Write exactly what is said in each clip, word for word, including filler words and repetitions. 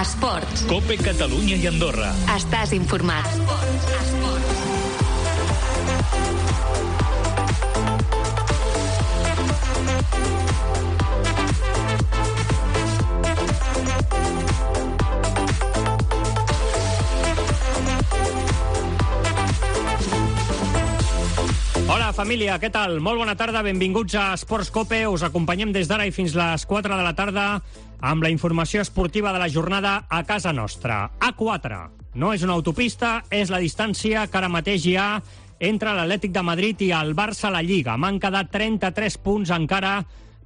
Esports. COPE Catalunya i Andorra. Estàs informat. Esports. Esports. Hola, família, què tal? Molt bona tarda, benvinguts a Esports COPE. Us acompanyem des d'ara i fins les quatre de la tarda amb la informació esportiva de la jornada a casa nostra. A quatre. No és una autopista, és la distància que ara mateix hi ha entre l'Atlètic de Madrid i el Barça a la Lliga. M'han quedat trenta-tres punts encara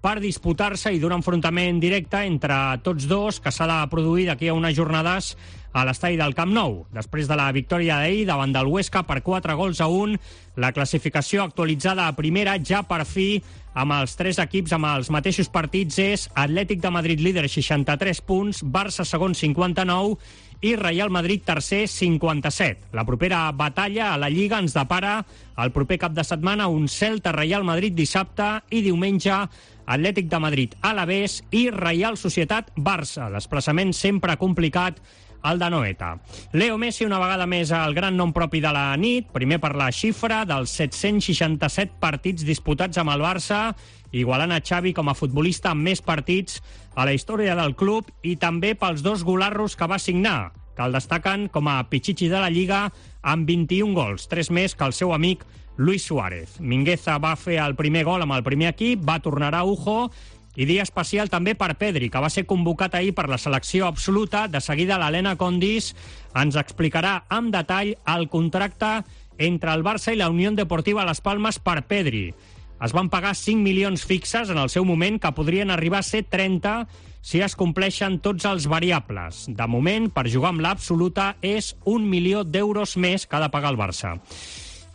per disputar-se i d'un enfrontament directe entre tots dos que s'ha de produir d'aquí a unes jornades a l'estadi del Camp Nou. Després de la victòria d'ahir davant del Huesca per quatre gols a un, la classificació actualitzada a primera ja per fi amb els tres equips amb els mateixos partits és Atlètic de Madrid líder seixanta-tres punts, Barça segon cinquanta-nou i Real Madrid tercer cinquanta-set. La propera batalla a la Lliga ens depara el proper cap de setmana un Celta-Real Madrid dissabte i diumenge Atlètic de Madrid Alavés i Reial Societat Barça. Desplaçament sempre complicat al de Noeta. Leo Messi una vegada més el gran nom propi de la nit, primer per la xifra dels set-cents seixanta-set partits disputats amb el Barça, igualant a Xavi com a futbolista amb més partits a la història del club i també pels dos golarros que va signar, que el destaquen com a Pichichi de la Lliga amb vint-i-un gols, tres més que el seu amic Luis Suárez. Mingueza va fer el primer gol amb el primer equip, va tornar a Ujo, i dia especial també per Pedri, que va ser convocat ahir per la selecció absoluta. De seguida l'Helena Condis ens explicarà amb detall el contracte entre el Barça i la Unió Deportiva Las Palmas per Pedri. Es van pagar cinc milions fixes en el seu moment, que podrien arribar a ser trenta si es compleixen tots els variables. De moment, per jugar amb l'absoluta, és un milió d'euros més que ha de pagar el Barça.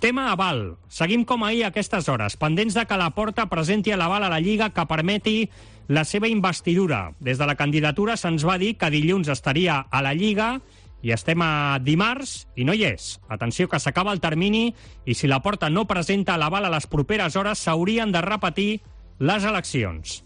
Tema aval. Seguim com ahir a aquestes hores, pendents de que Laporta presenti l'aval a la Lliga que permeti la seva investidura. Des de la candidatura se'ns va dir que dilluns estaria a la Lliga i estem a dimarts i no hi és. Atenció, que s'acaba el termini i si Laporta no presenta l'aval a les properes hores s'haurien de repetir les eleccions.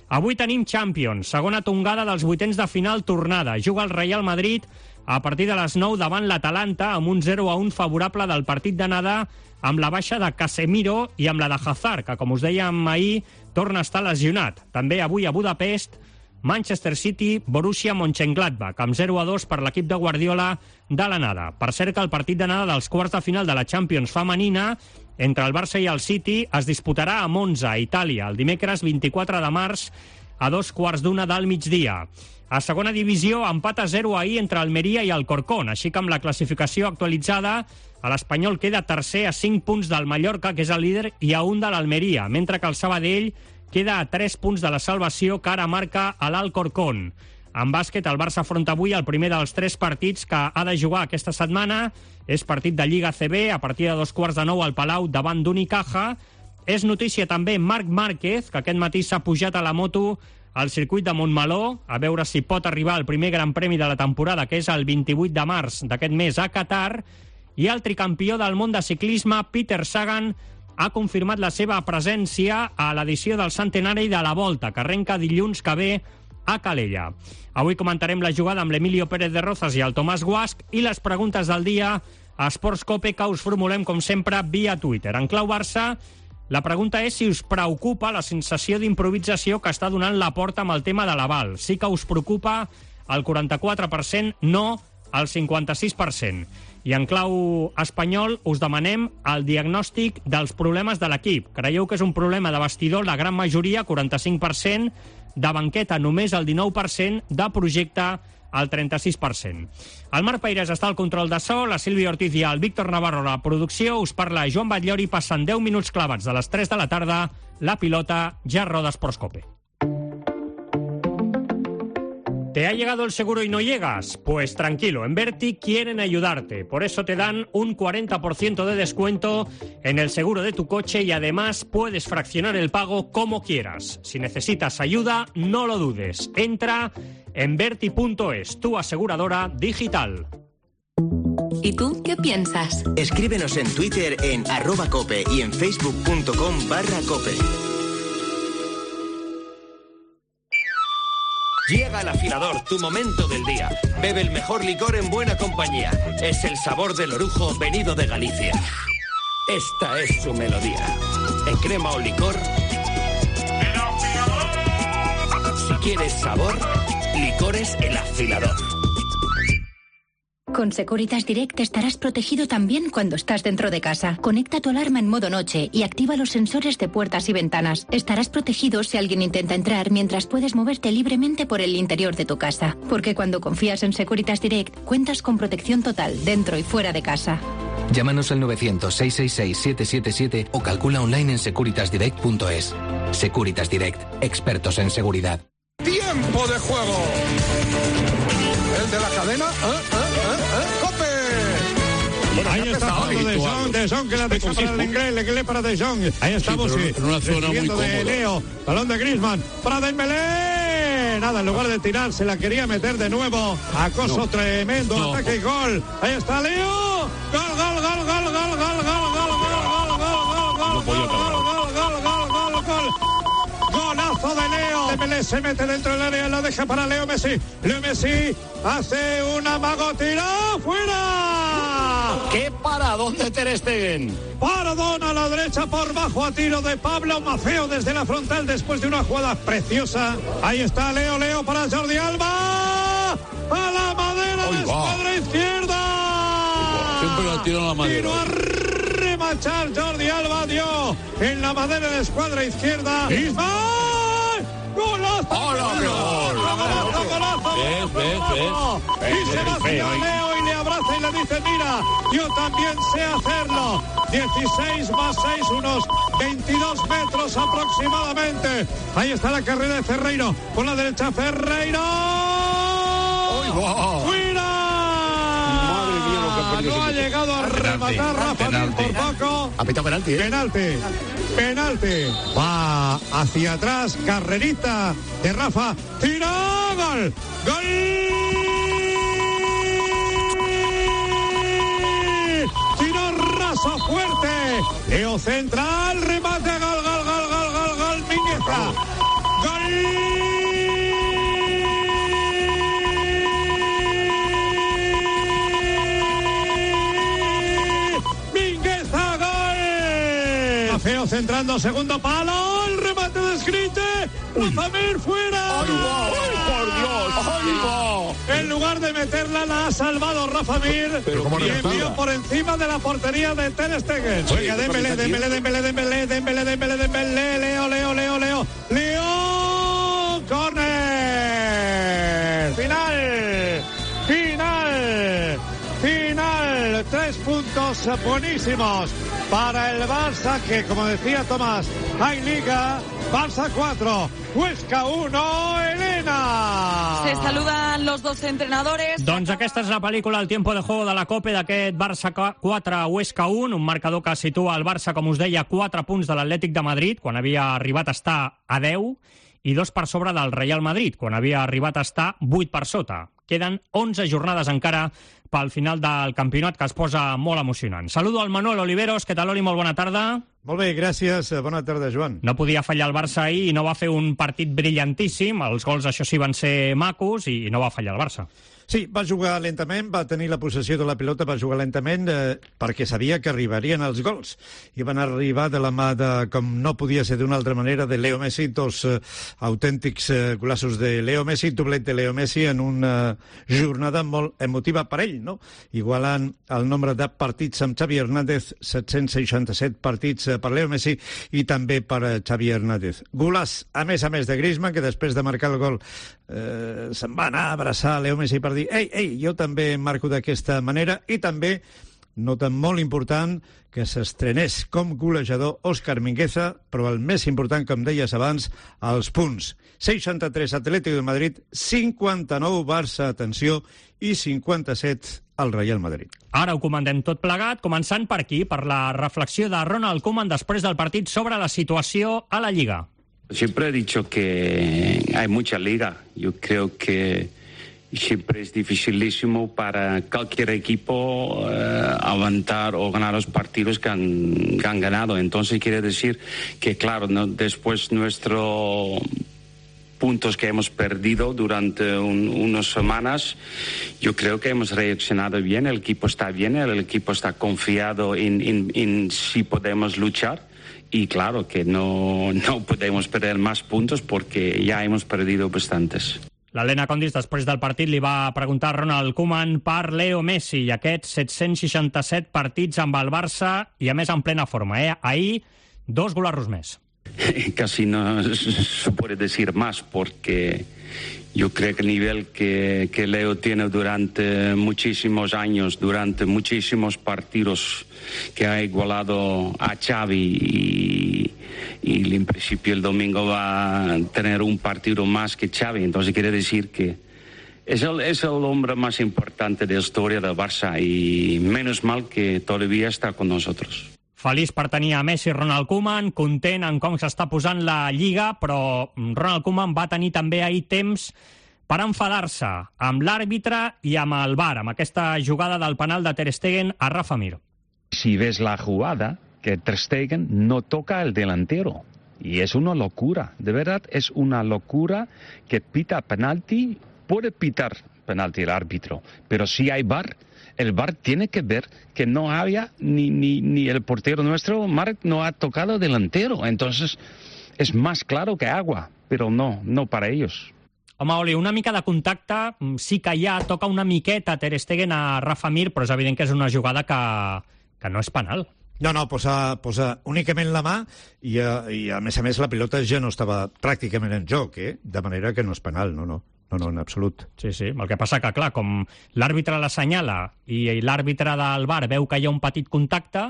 Avui tenim Champions, segona tongada dels vuitens de final tornada. Juga el Real Madrid a partir de les nou davant l'Atalanta amb un zero a un favorable del partit d'anada amb la baixa de Casemiro i amb la de Hazard, que com us dèiem ahir torna a estar lesionat. També avui a Budapest, Manchester City, Borussia Mönchengladbach, amb zero a dos per l'equip de Guardiola de l'anada. Per cert que el partit d'anada dels quarts de final de la Champions femenina entre el Barça i el City es disputarà a Monza, a Itàlia, el dimecres vint-i-quatre de març a dos quarts d'una del migdia. A segona divisió, empat a zero ahir entre Almeria i Alcorcón, així que amb la classificació actualitzada, l'Espanyol queda tercer a cinc punts del Mallorca, que és el líder, i a un de l'Almeria, mentre que el Sabadell queda a tres punts de la salvació que ara marca a l'Alcorcón. En bàsquet, el Barça afronta avui el primer dels tres partits que ha de jugar aquesta setmana. És partit de Lliga A C B, a partir de dos quarts de nou al Palau davant d'Unicaja. És notícia també Marc Márquez, que aquest matí s'ha pujat a la moto al circuit de Montmeló, a veure si pot arribar al primer gran premi de la temporada, que és el vint-i-vuit de març d'aquest mes a Qatar, i el tricampió del món de ciclisme, Peter Sagan, ha confirmat la seva presència a l'edició del centenari de la Volta, que arrenca dilluns que ve a Calella. Avui comentarem la jugada amb l'Emilio Pérez de Rozas i el Tomàs Guasch i les preguntes del dia a Esports COPE, que us formulem, com sempre, via Twitter. En clau Barça, la pregunta és si us preocupa la sensació d'improvisació que està donant Laporta amb el tema de l'aval. Sí que us preocupa el quaranta-quatre per cent, no el cinquanta-sis per cent. I en clau espanyol us demanem el diagnòstic dels problemes de l'equip. Creieu que és un problema de vestidor la gran majoria, quaranta-cinc per cent, de banqueta només el dinou per cent, de projecte el trenta-sis per cent. El Marc Peirés està al control de so, la Sílvia Ortiz i el Víctor Navarro a la producció. Us parla Joan Batllori, passen deu minuts clavats de les tres de la tarda. La pilota ja roda Esports COPE. ¿Te ha llegado el seguro y no llegas? Pues tranquilo, en Verti quieren ayudarte. Por eso te dan un cuarenta por ciento de descuento en el seguro de tu coche y además puedes fraccionar el pago como quieras. Si necesitas ayuda, no lo dudes. Entra en Verti punto es, tu aseguradora digital. ¿Y tú qué piensas? Escríbenos en Twitter en arroba cope y en facebook punto com barra cope. Llega el afilador, tu momento del día. Bebe el mejor licor en buena compañía. Es el sabor del orujo venido de Galicia. Esta es su melodía. En crema o licor. ¡El afilador! Si quieres sabor, licores El Afilador. Con Securitas Direct estarás protegido también cuando estás dentro de casa. Conecta tu alarma en modo noche y activa los sensores de puertas y ventanas. Estarás protegido si alguien intenta entrar mientras puedes moverte libremente por el interior de tu casa. Porque cuando confías en Securitas Direct, cuentas con protección total dentro y fuera de casa. Llámanos al novecientos, seiscientos sesenta y seis, siete siete siete o calcula online en securitas direct punto es. Securitas Direct, expertos en seguridad. ¡Tiempo de juego! ¿El de la cadena? ¿Eh? ¿Eh? ¿Eh? ¿Eh? ¡Cope! Bueno, ahí está Pablo de Jong, de Jong que la deja para el inglés, le quede para de Jong. Ahí estamos, sí, en una zona muy cómoda. De Leo, balón de Griezmann, para Dembélé. Nada, en lugar de tirar, se la quería meter de nuevo. Acoso no. tremendo, no. Ataque y gol. Ahí está Leo. Gol, gol, gol, gol, gol, gol, gol, gol, gol, gol, gol, gol, gol, gol, gol, gol, gol. Golazo de Leo. Dembélé se mete dentro del área, lo deja para Leo Messi. Leo Messi hace un amago, tira fuera. ¡Qué paradón de Ter Stegen! Paradón a la derecha por bajo a tiro de Pablo Maceo desde la frontal después de una jugada preciosa. Ahí está Leo, Leo para Jordi Alba. A la madera de escuadra izquierda. Siempre la tiró a la madera. Tiro a remachar Jordi Alba, dio en la madera de escuadra izquierda. Ismael. ¡Golazo! ¡Hola, qué gol! ¡Golazo, golazo! ¿Ves, ves, ves? Y se va hacia Leo y le abraza y le dice, mira, yo también sé hacerlo. dieciséis más seis, unos veintidós metros aproximadamente. Ahí está la carrera de Ferreiro. Por la derecha, Ferreiro. ¡Fuera! Madre mía, lo que ha perdido. No ha llegado a rematar Rafa Mir por poco. Ha pitado penalti, ¿eh? Penalti. Penalti. Va hacia atrás. Carrerita de Rafa. Tira. Gol. Gol. Tiro raso fuerte. Leo central. Remate. Gol, gol, gol, gol, gol, gol. Mingueza. Gol. Feo centrando, segundo palo, el remate de Skrite, Rafa Mir fuera. ¡Ay, va! ¡Ay, por Dios! ¡Ay, va! En lugar de meterla, la ha salvado Rafa Mir y envió por encima de la portería de Ter Stegen. Oiga, Dembélé, Dembélé, Dembélé, Dembélé, Dembélé, Dembélé, Dembélé, Leo, Leo, Leo, Leo, Leo, córner, final, final, final, tres puntos buenísimos para el Barça, que como decía Tomás, hay Liga. Barça cuatro, Huesca uno, Elena. Se saludan los dos entrenadores. Doncs aquesta és la pel·lícula El tiempo de juego de la Copa d'aquest Barça quatre, Huesca un, un marcador que situa el Barça, com us deia, quatre punts de l'Atlètic de Madrid, quan havia arribat a estar a deu, i dos per sobre del Real Madrid, quan havia arribat a estar vuit per sota. Queden onze jornades encara pel final del campionat, que es posa molt emocionant. Saludo al Manuel Oliveros. Què tal, Oli? Molt bona tarda. Molt bé, gràcies. Bona tarda, Joan. No podia fallar el Barça ahir i no va fer un partit brillantíssim. Els gols, això sí, van ser macos i no va fallar el Barça. Sí, va jugar lentament, va tenir la possessió de la pilota, va jugar lentament eh, perquè sabia que arribarien els gols. I van arribar de la mà de, com no podia ser d'una altra manera, de Leo Messi, dos eh, autèntics eh, golaços de Leo Messi, doblet de Leo Messi en una jornada molt emotiva per ell, no? Igualant el nombre de partits amb Xavi Hernández, set-cents seixanta-set partits per Leo Messi i també per Xavi Hernández. Golàs, a més a més de Griezmann, que després de marcar el gol eh, se'n va anar a abraçar Leo Messi per dir, ei, ei, jo també marco d'aquesta manera, i també, nota molt important, que s'estrenés com golejador Òscar Mingueza, però el més important, com deies abans, els punts. seixanta-tres Atlético de Madrid, cinquanta-nou Barça, atenció, i cinquanta-set al Real Madrid. Ara ho comandem tot plegat, començant per aquí, per la reflexió de Ronald Koeman després del partit sobre la situació a la Lliga. Siempre he dicho que hay mucha liga. Yo creo que siempre es dificilísimo para cualquier equipo eh, aguantar o ganar los partidos que han, que han ganado. Entonces quiere decir que, claro, ¿no? Después nuestro puntos que hemos perdido durante un, unas semanas, yo creo que hemos reaccionado bien, el equipo está bien, el equipo está confiado en, en, en si podemos luchar. Y claro que no, no podemos perder más puntos porque ya hemos perdido bastantes. L'Helena Condis, després del partit, li va preguntar a Ronald Koeman per Leo Messi i aquests set-cents seixanta-set partits amb el Barça i, a més, en plena forma. Eh? Ahir, dos golarros més. Casi no se puede decir más porque yo creo que el nivel que, que Leo tiene durante muchísimos años, durante muchísimos partidos, que ha igualado a Xavi y, y en principio el domingo va a tener un partido más que Xavi, entonces quiere decir que es el, es el hombre más importante de la historia del Barça y menos mal que todavía está con nosotros. Feliç per tenir a Messi, Ronald Koeman, content en com s'està posant la Lliga, però Ronald Koeman va tenir també ahir temps per enfadar-se amb l'àrbitre i amb el V A R, amb aquesta jugada del penal de Ter Stegen a Rafa Mir. Si ves la jugada, que Ter Stegen no toca al delantero. Y es una locura, de verdad es una locura que pita penalti, puede pitar penalti el árbitro, pero si hay V A R, el V A R tiene que ver que no había ni, ni, ni el portero nuestro, Marc, no ha tocado delantero. Entonces es más claro que agua, pero no, no para ellos. Home, Oli, una mica de contacte sí que hi ha, toca una miqueta Ter Stegen a Rafa Mir, però és evident que és una jugada que, que no és penal. No, no, posa, posa únicament la mà i, i, a més a més, la pilota ja no estava pràcticament en joc, eh? De manera que no és penal, no, no. No, no, en absolut. Sí, sí. El que passa que, clar, com l'àrbitre l'assenyala i l'àrbitre del V A R veu que hi ha un petit contacte,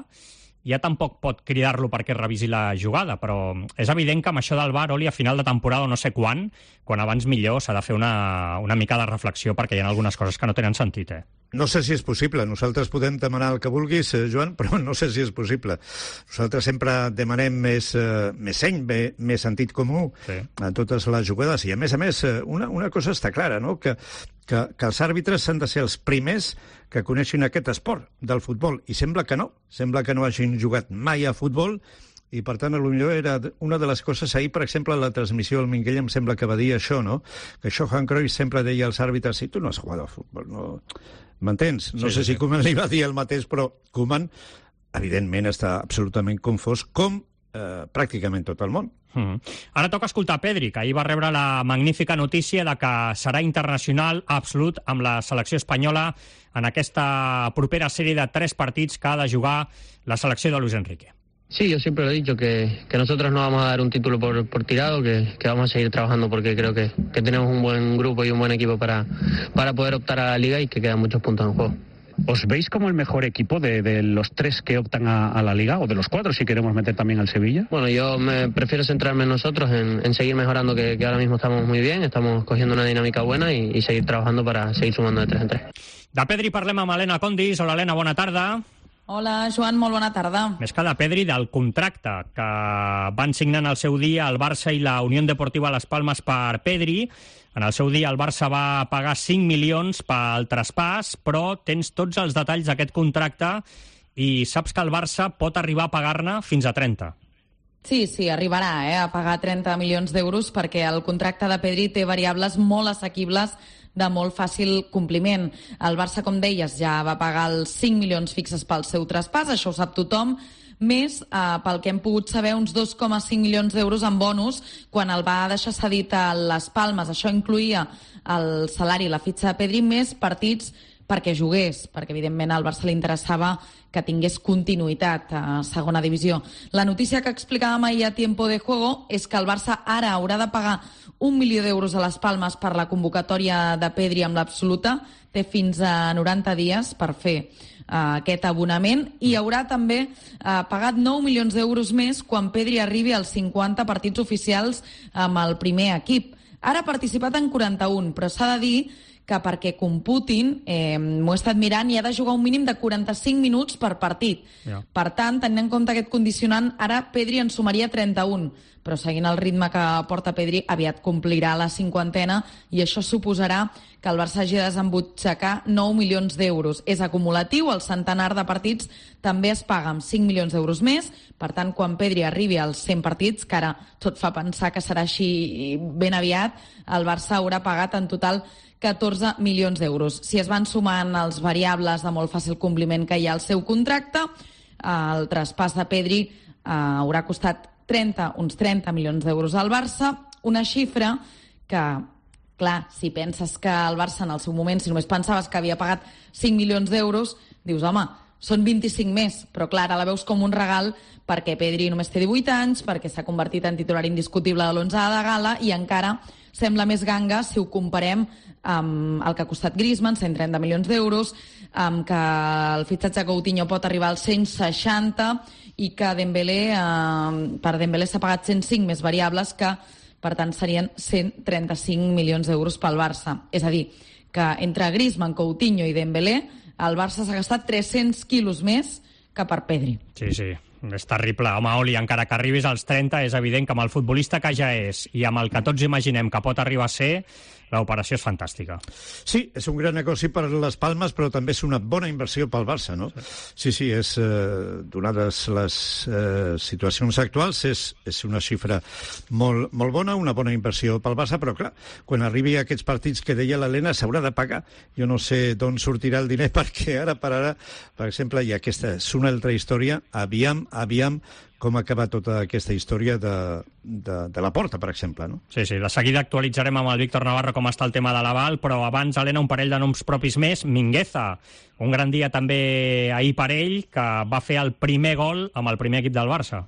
ja tampoc pot cridar-lo perquè revisi la jugada, però és evident que amb això del V A R, Oli, a final de temporada o no sé quan, quan abans millor s'ha de fer una, una mica de reflexió perquè hi ha algunes coses que no tenen sentit, eh? No sé si és possible. Nosaltres podem demanar el que vulguis, eh, Joan, però no sé si és possible. Nosaltres sempre demanem més, eh, més seny, més, més sentit comú sí. a totes les jugades. I, a més a més, una, una cosa està clara, no? que, que, que els àrbitres han de ser els primers que coneixin aquest esport del futbol. I sembla que no. Sembla que no hagin jugat mai a futbol i, per tant, potser era una de les coses ahir, per exemple, la transmissió del Minguell em sembla que va dir això, no? Que Johan Cruyff sempre deia als àrbitres, si tu no has jugat a futbol, no... M'entens? No sí, sé sí, si sí. Koeman li va dir el mateix, però Koeman, evidentment, està absolutament confós, com eh, pràcticament tot el món. Mm. Ara toca escoltar Pedri, que ahir va rebre la magnífica notícia de que serà internacional absolut amb la selecció espanyola en aquesta propera sèrie de tres partits que ha de jugar la selecció de Luis Enrique. Sí, yo siempre lo he dicho, que, que nosotros no vamos a dar un título por, por tirado, que, que vamos a seguir trabajando porque creo que, que tenemos un buen grupo y un buen equipo para, para poder optar a la Liga y que quedan muchos puntos en juego. ¿Os veis como el mejor equipo de, de los tres que optan a, a la Liga, o de los cuatro si queremos meter también al Sevilla? Bueno, yo me prefiero centrarme en nosotros, en, en seguir mejorando, que, que ahora mismo estamos muy bien, estamos cogiendo una dinámica buena y, y seguir trabajando para seguir sumando de tres en tres. De Pedri parlem amb Helena Condis. Hola, Helena, bona tarda. Hola, Joan, molt bona tarda. Més que de Pedri, del contracte que van signar en el seu dia el Barça i la Unió Deportiva Las Palmas per Pedri. En el seu dia el Barça va pagar cinc milions pel traspàs, però tens tots els detalls d'aquest contracte i saps que el Barça pot arribar a pagar-ne fins a trenta. Sí, sí, arribarà eh, a pagar trenta milions d'euros perquè el contracte de Pedri té variables molt assequibles de molt fàcil compliment. El Barça, com deies, ja va pagar els cinc milions fixes pel seu traspàs, això ho sap tothom, més, eh, pel que hem pogut saber, uns dos coma cinc milions d'euros en bonus quan el va deixar cedit a les Palmes. Això incluïa el salari i la fitxa de Pedri, més partits perquè jugués, perquè evidentment al Barça li interessava que tingués continuïtat a segona divisió. La notícia que explicàvem ahir a Tiempo de Juego és que el Barça ara haurà de pagar un milió d'euros a les Palmes per la convocatòria de Pedri amb l'absoluta. Té fins a noranta dies per fer uh, aquest abonament i haurà també uh, pagat nou milions d'euros més quan Pedri arribi als cinquanta partits oficials amb el primer equip. Ara ha participat en quaranta-un, però s'ha de dir que perquè computin, eh, m'ho he estat mirant, i ha de jugar un mínim de quaranta-cinc minuts per partit. Ja. Per tant, tenint en compte aquest condicionant, ara Pedri en sumaria trenta-un, però seguint el ritme que porta Pedri, aviat complirà la cinquantena, i això suposarà que el Barça hagi de desembutxacar nou milions d'euros. És acumulatiu, el centenar de partits també es paga amb cinc milions d'euros més, per tant, quan Pedri arribi als cent partits, que ara tot fa pensar que serà així ben aviat, el Barça haurà pagat en total catorze milions d'euros. Si es van sumant els variables de molt fàcil compliment que hi ha al seu contracte, el traspàs de Pedri eh, haurà costat trenta, uns trenta milions d'euros al Barça, una xifra que, clar, si penses que el Barça en el seu moment, si només pensaves que havia pagat cinc milions d'euros, dius, home, són vint-i-cinc més, però clar, ara la veus com un regal perquè Pedri només té divuit anys, perquè s'ha convertit en titular indiscutible de l'onze de gala i encara sembla més ganga si ho comparem amb el que ha costat Griezmann, cent trenta milions d'euros, amb que el fitxatge de Coutinho pot arribar als cent seixanta i que Dembélé, eh, per Dembélé s'ha pagat cent cinc més variables, que per tant serien cent trenta-cinc milions d'euros pel Barça. És a dir, que entre Griezmann, Coutinho i Dembélé el Barça s'ha gastat tres-cents quilos més que per Pedri. Sí, sí, és terrible. Home, Oli, encara que arribis als trenta, és evident que amb el futbolista que ja és i amb el que tots imaginem que pot arribar a ser, l'operació és fantàstica. Sí, és un gran negoci per les Palmes, però també és una bona inversió pel Barça, no? Sí, sí, és, eh, donades les eh, situacions actuals, és, és una xifra molt, molt bona, una bona inversió pel Barça, però clar, quan arribi a aquests partits que deia l'Helena, s'haurà de pagar. Jo no sé d'on sortirà el diner, perquè ara per ara, per exemple, i aquesta és una altra història, aviam, aviam, com acaba tota aquesta història de, de, de la Porta, per exemple, no? Sí, sí, de seguida actualitzarem amb el Víctor Navarro com està el tema de l'aval, però abans, Helena, un parell de noms propis més. Mingueza, un gran dia també ahir per ell, que va fer el primer gol amb el primer equip del Barça.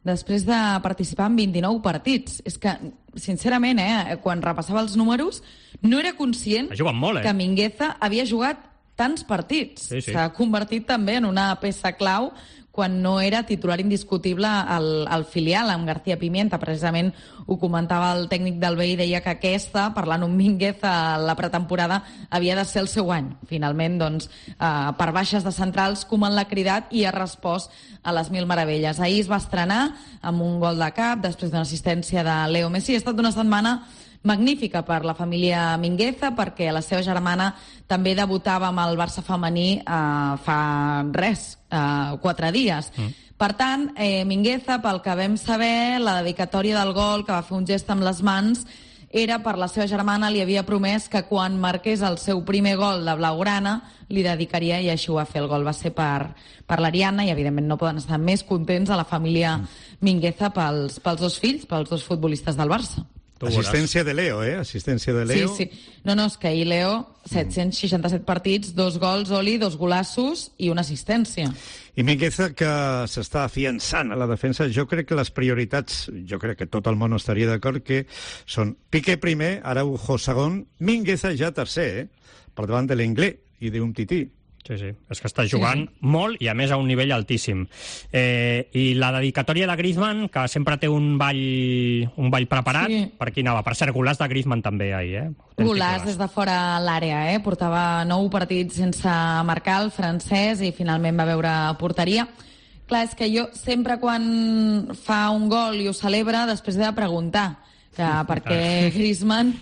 Després de participar en vint-i-nou partits. És que, sincerament, eh, quan repassava els números, no era conscient molt, eh? que Mingueza havia jugat tants partits. Sí, sí. S'ha convertit també en una peça clau quan no era titular indiscutible al, al filial, amb García Pimienta. Precisament ho comentava el tècnic del B I, deia que aquesta, parlant amb Mingueza a la pretemporada, havia de ser el seu any. Finalment, doncs, eh, per baixes de centrals, Koeman l'ha cridat i ha respost a les mil meravelles. Ahir es va estrenar amb un gol de cap, després d'una assistència de Leo Messi. Ha estat una setmana magnífica per la família Mingueza, perquè la seva germana també debutava amb el Barça femení eh, fa res, eh, quatre dies. Mm. Per tant, eh, Mingueza, pel que vam saber, la dedicatòria del gol, que va fer un gest amb les mans, era per la seva germana, li havia promès que quan marqués el seu primer gol de blaugrana li dedicaria, i així ho va fer. El gol va ser per, per l'Ariana, i evidentment no poden estar més contents a la família Mingueza pels, pels dos fills, pels dos futbolistes del Barça. Assistència de Leo, eh? Assistència de Leo. Sí, sí. No, no, és que ahir Leo, set-cents seixanta-set partits, dos gols, Oli, dos golassos i una assistència. I Mingueza, que s'està afiançant a la defensa, jo crec que les prioritats, jo crec que tot el món estaria d'acord, que són Piqué primer, Araujo segon, Mingueza ja tercer, eh? Per davant de l'Inglés i d'un Tití. Sí, sí, és que està jugant sí. molt i a més a un nivell altíssim. Eh, I la dedicatòria de Griezmann, que sempre té un ball, un ball preparat, sí. Per qui anava? Per cert, golaç de Griezmann també ahir, eh? Autèntic golaç des de fora l'àrea, eh? Portava nou partits sense marcar el francès i finalment va veure porteria. Clar, és que jo sempre quan fa un gol i ho celebra, després he de preguntar que per què Griezmann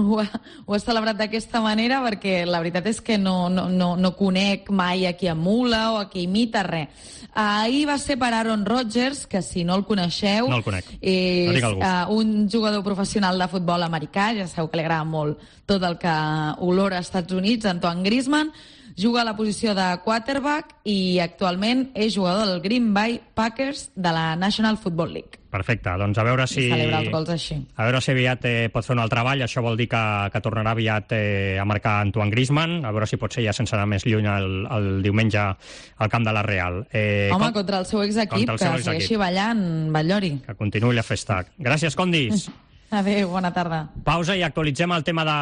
Ho ha, ho ha celebrat d'aquesta manera, perquè la veritat és que no, no, no, no conec mai a qui emula o a qui imita, res. Ahir va ser per Aaron Rodgers, que si no el coneixeu, no el conec. És no uh, un jugador professional de futbol americà, ja sabeu que li agrada molt tot el que olora als Estats Units, Antoine Griezmann, juga a la posició de quarterback i actualment és jugador del Green Bay Packers de la National Football League. Perfecte, doncs a veure si... I celebra els gols així. A veure si aviat eh, pot fer un altre treball, això vol dir que, que tornarà aviat eh, a marcar Antoine Griezmann, a veure si pot ser ja sense anar més lluny el, el diumenge al camp de la Real. Eh, Home, com... contra el seu exequip, que segueixi equip. ballant, Batllori. Que continuï la festa. Gràcies, Condis. Adéu, bona tarda. Pausa i actualitzem el tema de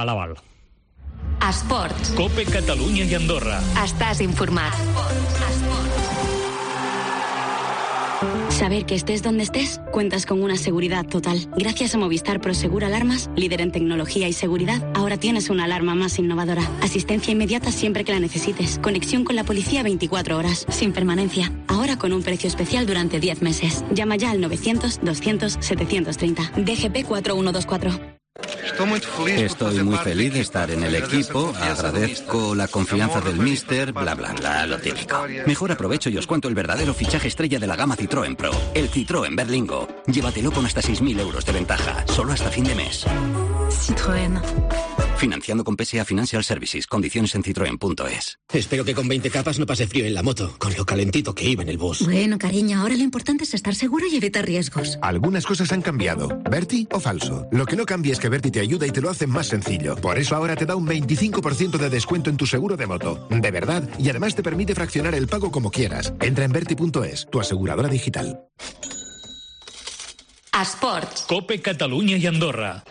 l'aval. Esports. Cope Catalunya i Andorra. Estàs informat. Esports. Esports. Saber que estés donde estés, cuentas con una seguridad total. Gracias a Movistar Prosegur Alarmas, líder en tecnología y seguridad, ahora tienes una alarma más innovadora. Asistencia inmediata siempre que la necesites. Conexión con la policía veinticuatro horas, sin permanencia. Ahora con un precio especial durante diez meses. Llama ya al novecientos, doscientos, setecientos treinta. D G P cuatro uno dos cuatro. Estoy muy feliz de estar en el equipo, agradezco la confianza del míster, bla bla bla, lo típico. Mejor aprovecho y os cuento el verdadero fichaje estrella de la gama Citroën Pro, el Citroën Berlingo. Llévatelo con hasta seis mil euros de ventaja, solo hasta fin de mes. Citroën. Financiando con P S A Financial Services, condiciones en citroen punto es. Espero que con veinte capas no pase frío en la moto, con lo calentito que iba en el bus. Bueno, cariño, ahora lo importante es estar seguro y evitar riesgos. Algunas cosas han cambiado. ¿Berti o falso? Lo que no cambia es que Berti te ayuda y te lo hace más sencillo. Por eso ahora te da un veinticinco por ciento de descuento en tu seguro de moto. De verdad, y además te permite fraccionar el pago como quieras. Entra en berti punto es, tu aseguradora digital. Esports. Cope Catalunya i Andorra.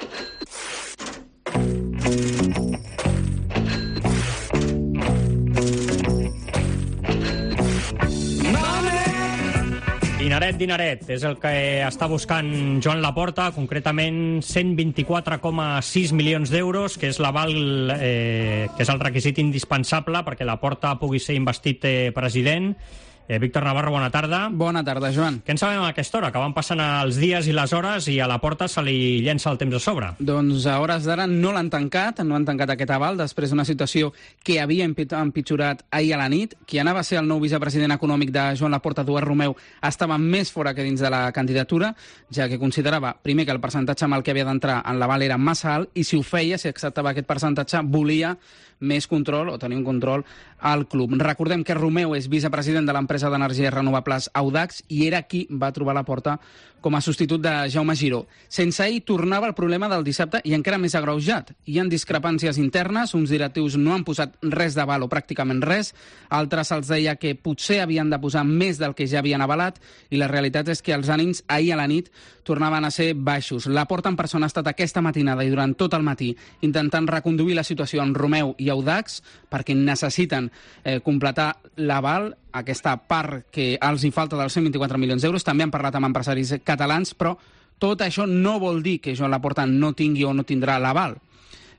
Dineret, dineret, és el que està buscant Joan Laporta, concretament cent vint-i-quatre coma sis milions d'euros, que és l'aval, eh, que és el requisit indispensable perquè Laporta pugui ser investit eh, president. Eh, Víctor Navarro, bona tarda. Bona tarda, Joan. Què en sabem a aquesta hora? Que van passant els dies i les hores i a Laporta se li llença el temps a sobre. Doncs a hores d'ara no l'han tancat, no han tancat aquest aval després d'una situació que havia empitjorat ahir a la nit. Qui anava a ser el nou vicepresident econòmic de Joan Laporta, Eduard Romeu, estava més fora que dins de la candidatura, ja que considerava, primer, que el percentatge amb el que havia d'entrar en l'aval era massa alt, i si ho feia, si acceptava aquest percentatge, volia més control o tenir un control al club. Recordem que Romeu és vicepresident de l'empresa d'energies renovables Audax i era qui va trobar Laporta com a substitut de Jaume Giró. Sense ell tornava el problema del dissabte i encara més agreujat. Hi ha discrepàncies internes, uns directius no han posat res d'aval o pràcticament res, altres els deia que potser havien de posar més del que ja havien avalat i la realitat és que els ànims ahir a la nit tornaven a ser baixos. Laporta en persona ha estat aquesta matinada i durant tot el matí intentant reconduir la situació amb Romeu i Audax perquè necessiten eh, completar l'aval, aquesta part que els hi falta dels cent vint-i-quatre milions d'euros. També han parlat amb empresaris catalans, però tot això no vol dir que Joan Laporta no tingui o no tindrà l'aval.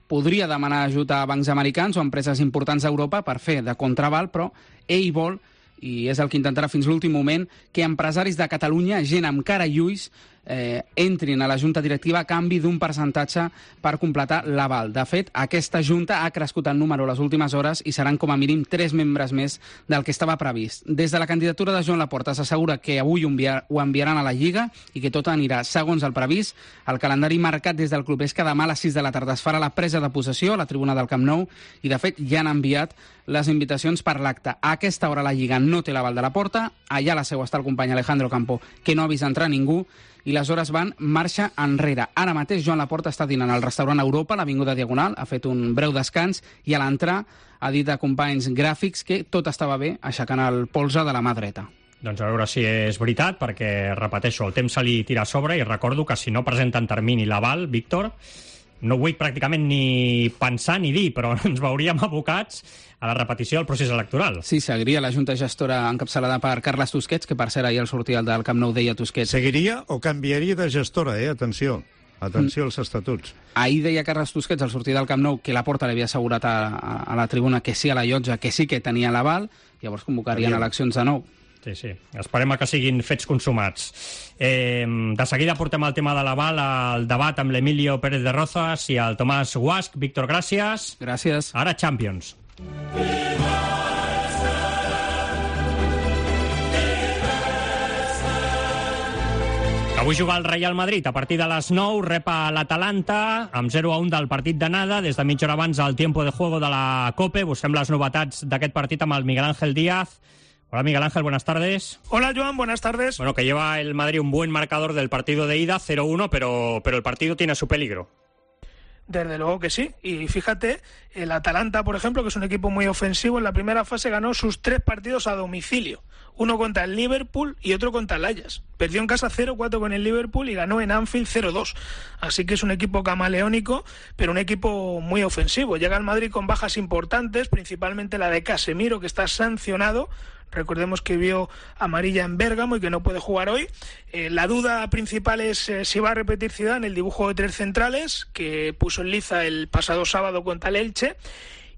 Podria demanar ajut a bancs americans o empreses importants a Europa per fer de contraval, però ell vol, i és el que intentarà fins l'últim moment, que empresaris de Catalunya, gent amb cara i ulls, eh, entrin a la junta directiva a canvi d'un percentatge per completar l'aval. De fet, aquesta junta ha crescut en número les últimes hores i seran com a mínim tres membres més del que estava previst. Des de la candidatura de Joan Laporta s'assegura que avui ho, enviar, ho enviaran a la Lliga i que tot anirà segons el previst. El calendari marcat des del club és que demà a les sis de la tarda es farà la presa de possessió a la tribuna del Camp Nou i, de fet, ja han enviat les invitacions per l'acte. A aquesta hora la Lliga no té l'aval de Laporta, allà a la seu està el company Alejandro Campo, que no ha vist entrar ningú, i les hores van marxa enrere. Ara mateix Joan Laporta està dinant al restaurant Europa, a l'Avinguda Diagonal, ha fet un breu descans i a l'entrar ha dit a companys gràfics que tot estava bé, aixecant el polze de la mà dreta. Doncs a veure si és veritat, perquè, repeteixo, el temps se li tira a sobre i recordo que si no presenta en termini l'aval, Víctor, no vull pràcticament ni pensar ni dir, però ens veuríem abocats a la repetició del procés electoral. Sí, seguiria la Junta Gestora encapçalada per Carles Tusquets, que per cert ahir al sortir del Camp Nou deia Tusquets. Seguiria o canviaria de gestora, eh? Atenció. Atenció als estatuts. Ahir deia Carles Tusquets al sortir del Camp Nou que Laporta li havia assegurat a, a, a la tribuna que sí a la llotja, que sí que tenia l'aval, llavors convocarien Aviam. eleccions de nou. Sí, sí. Esperem que siguin fets consumats. Eh, de seguida portem el tema de l'aval al debat amb l'Emilio Pérez de Rozas i el Tomàs Guasch. Víctor, gràcies. Gràcies. Ara Champions. Avui juga el Real Madrid a partir de les nou, rep a l'Atalanta amb zero a un del partit d'anada. Des de mitja hora abans al tiempo de juego de la COPE. Busquem les novetats d'aquest partit amb el Miguel Ángel Díaz. Hola Miguel Ángel, buenas tardes. Hola Joan, buenas tardes. Bueno, que lleva el Madrid un buen marcador del partido de ida, cero uno, pero, pero el partido tiene su peligro. Desde luego que sí, y fíjate, el Atalanta, por ejemplo, que es un equipo muy ofensivo, en la primera fase ganó sus tres partidos a domicilio, uno contra el Liverpool y otro contra el Ajax. Perdió en casa cero cuatro con el Liverpool y ganó en Anfield cero dos, así que es un equipo camaleónico, pero un equipo muy ofensivo. Llega al Madrid con bajas importantes, principalmente la de Casemiro, que está sancionado, Recordemos que vio amarilla en Bérgamo y que no puede jugar hoy. Eh, la duda principal es eh, si va a repetir Zidane el dibujo de tres centrales que puso en liza el pasado sábado contra el Elche,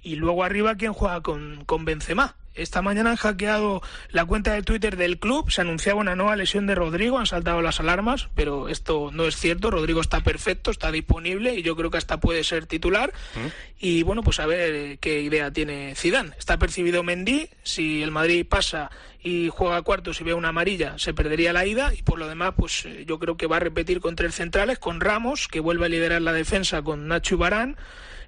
y luego arriba quién juega con, con Benzema. Esta mañana han hackeado la cuenta de Twitter del club, se anunciaba una nueva lesión de Rodrigo, han saltado las alarmas, pero esto no es cierto. Rodrigo está perfecto, está disponible y yo creo que hasta puede ser titular. ¿Mm? Y bueno, pues a ver qué idea tiene Zidane. Está percibido Mendy, si el Madrid pasa y juega cuartos y ve una amarilla, se perdería la ida, y por lo demás, pues yo creo que va a repetir con tres centrales, con Ramos, que vuelve a liderar la defensa con Nacho y Varane.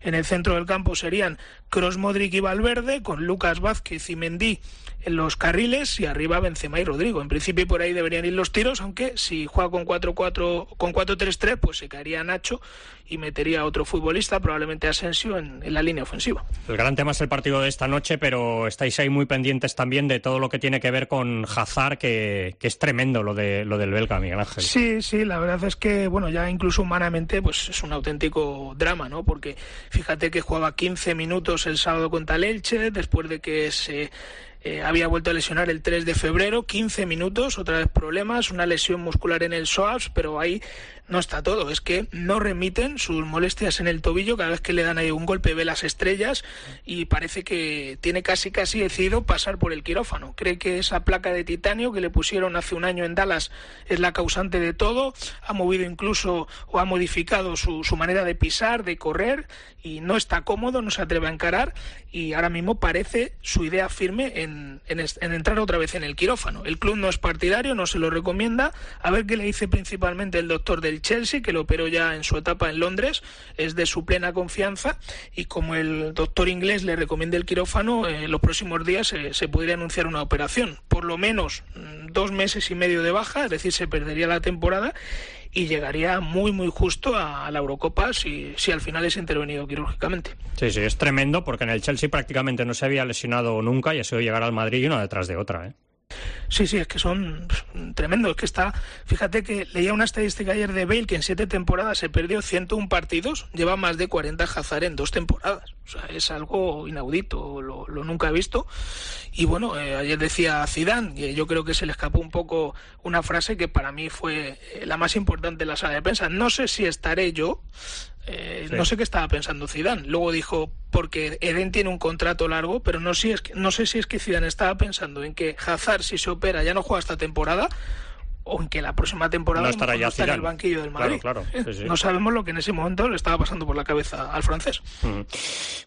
En el centro del campo serían Kroos, Modric y Valverde, con Lucas Vázquez y Mendy en los carriles, y arriba Benzema y Rodrigo. En principio por ahí deberían ir los tiros, aunque si juega con cuatro cuatro, con cuatro tres tres, pues se caería Nacho y metería a otro futbolista, probablemente Asensio, en, en la línea ofensiva. El gran tema es el partido de esta noche, pero estáis ahí muy pendientes también de todo lo que tiene que ver con Hazard, que, que es tremendo lo de lo del belga, Miguel Ángel. Sí, sí, la verdad es que, bueno, ya incluso humanamente, pues es un auténtico drama, ¿no? Porque fíjate que jugaba quince minutos el sábado contra el Elche, después de que se eh, había vuelto a lesionar el tres de febrero, quince minutos, otra vez problemas, una lesión muscular en el psoas, pero ahí no está todo, es que no remiten sus molestias en el tobillo, cada vez que le dan ahí un golpe ve las estrellas y parece que tiene casi casi decidido pasar por el quirófano. Cree que esa placa de titanio que le pusieron hace un año en Dallas es la causante de todo, ha movido incluso o ha modificado su, su manera de pisar, de correr, y no está cómodo, no se atreve a encarar, y ahora mismo parece su idea firme en, en, en entrar otra vez en el quirófano. El club no es partidario, no se lo recomienda, a ver qué le dice principalmente el doctor del Chelsea, que lo operó ya en su etapa en Londres, es de su plena confianza, y como el doctor inglés le recomienda el quirófano, en eh, los próximos días eh, se podría anunciar una operación, por lo menos dos meses y medio de baja, es decir, se perdería la temporada y llegaría muy muy justo a, a la Eurocopa si, si al final es intervenido quirúrgicamente. Sí, sí, es tremendo, porque en el Chelsea prácticamente no se había lesionado nunca y ha sido llegar al Madrid y una detrás de otra, ¿eh? Sí, sí, es que son tremendos. Es que está, fíjate que leía una estadística ayer de Bale que en siete temporadas se perdió ciento uno partidos, lleva más de cuarenta Hazard en dos temporadas. O sea, es algo inaudito, lo, lo nunca he visto. Y bueno, eh, ayer decía Zidane, y yo creo que se le escapó un poco una frase que para mí fue la más importante en la sala de prensa. No sé si estaré yo. Eh, sí. No sé qué estaba pensando Zidane. Luego dijo, porque Eden tiene un contrato largo, pero no, si es que, no sé si es que Zidane estaba pensando en que Hazard, si se opera, ya no juega esta temporada, o en que la próxima temporada no estará ya no está en el banquillo del Madrid. Claro, claro. Sí, sí. No sabemos lo que en ese momento le estaba pasando por la cabeza al francés. Mm.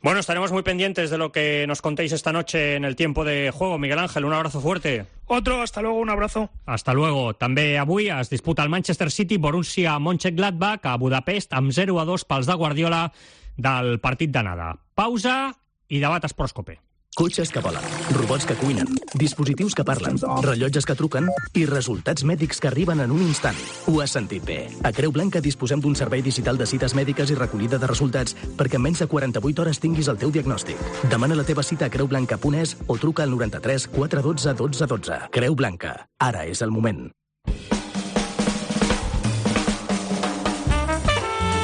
Bueno, estaremos muy pendientes de lo que nos contéis esta noche en el tiempo de juego. Miguel Ángel, un abrazo fuerte. Otro, hasta luego, un abrazo. Hasta luego. També avui es disputa el Manchester City Borussia Mönchengladbach a Budapest amb zero a dos pels de Guardiola del partit d'anada. Pausa i debat Esports-Cope. Cotxes que volen, robots que cuinen, dispositius que parlen, rellotges que truquen i resultats mèdics que arriben en un instant. Ho has sentit bé. A Creu Blanca disposem d'un servei digital de cites mèdiques i recollida de resultats perquè en menys de quaranta-vuit hores tinguis el teu diagnòstic. Demana la teva cita a creu blanca punt es o truca al noranta-tres quatre dotze dotze dotze. Creu Blanca. Ara és el moment.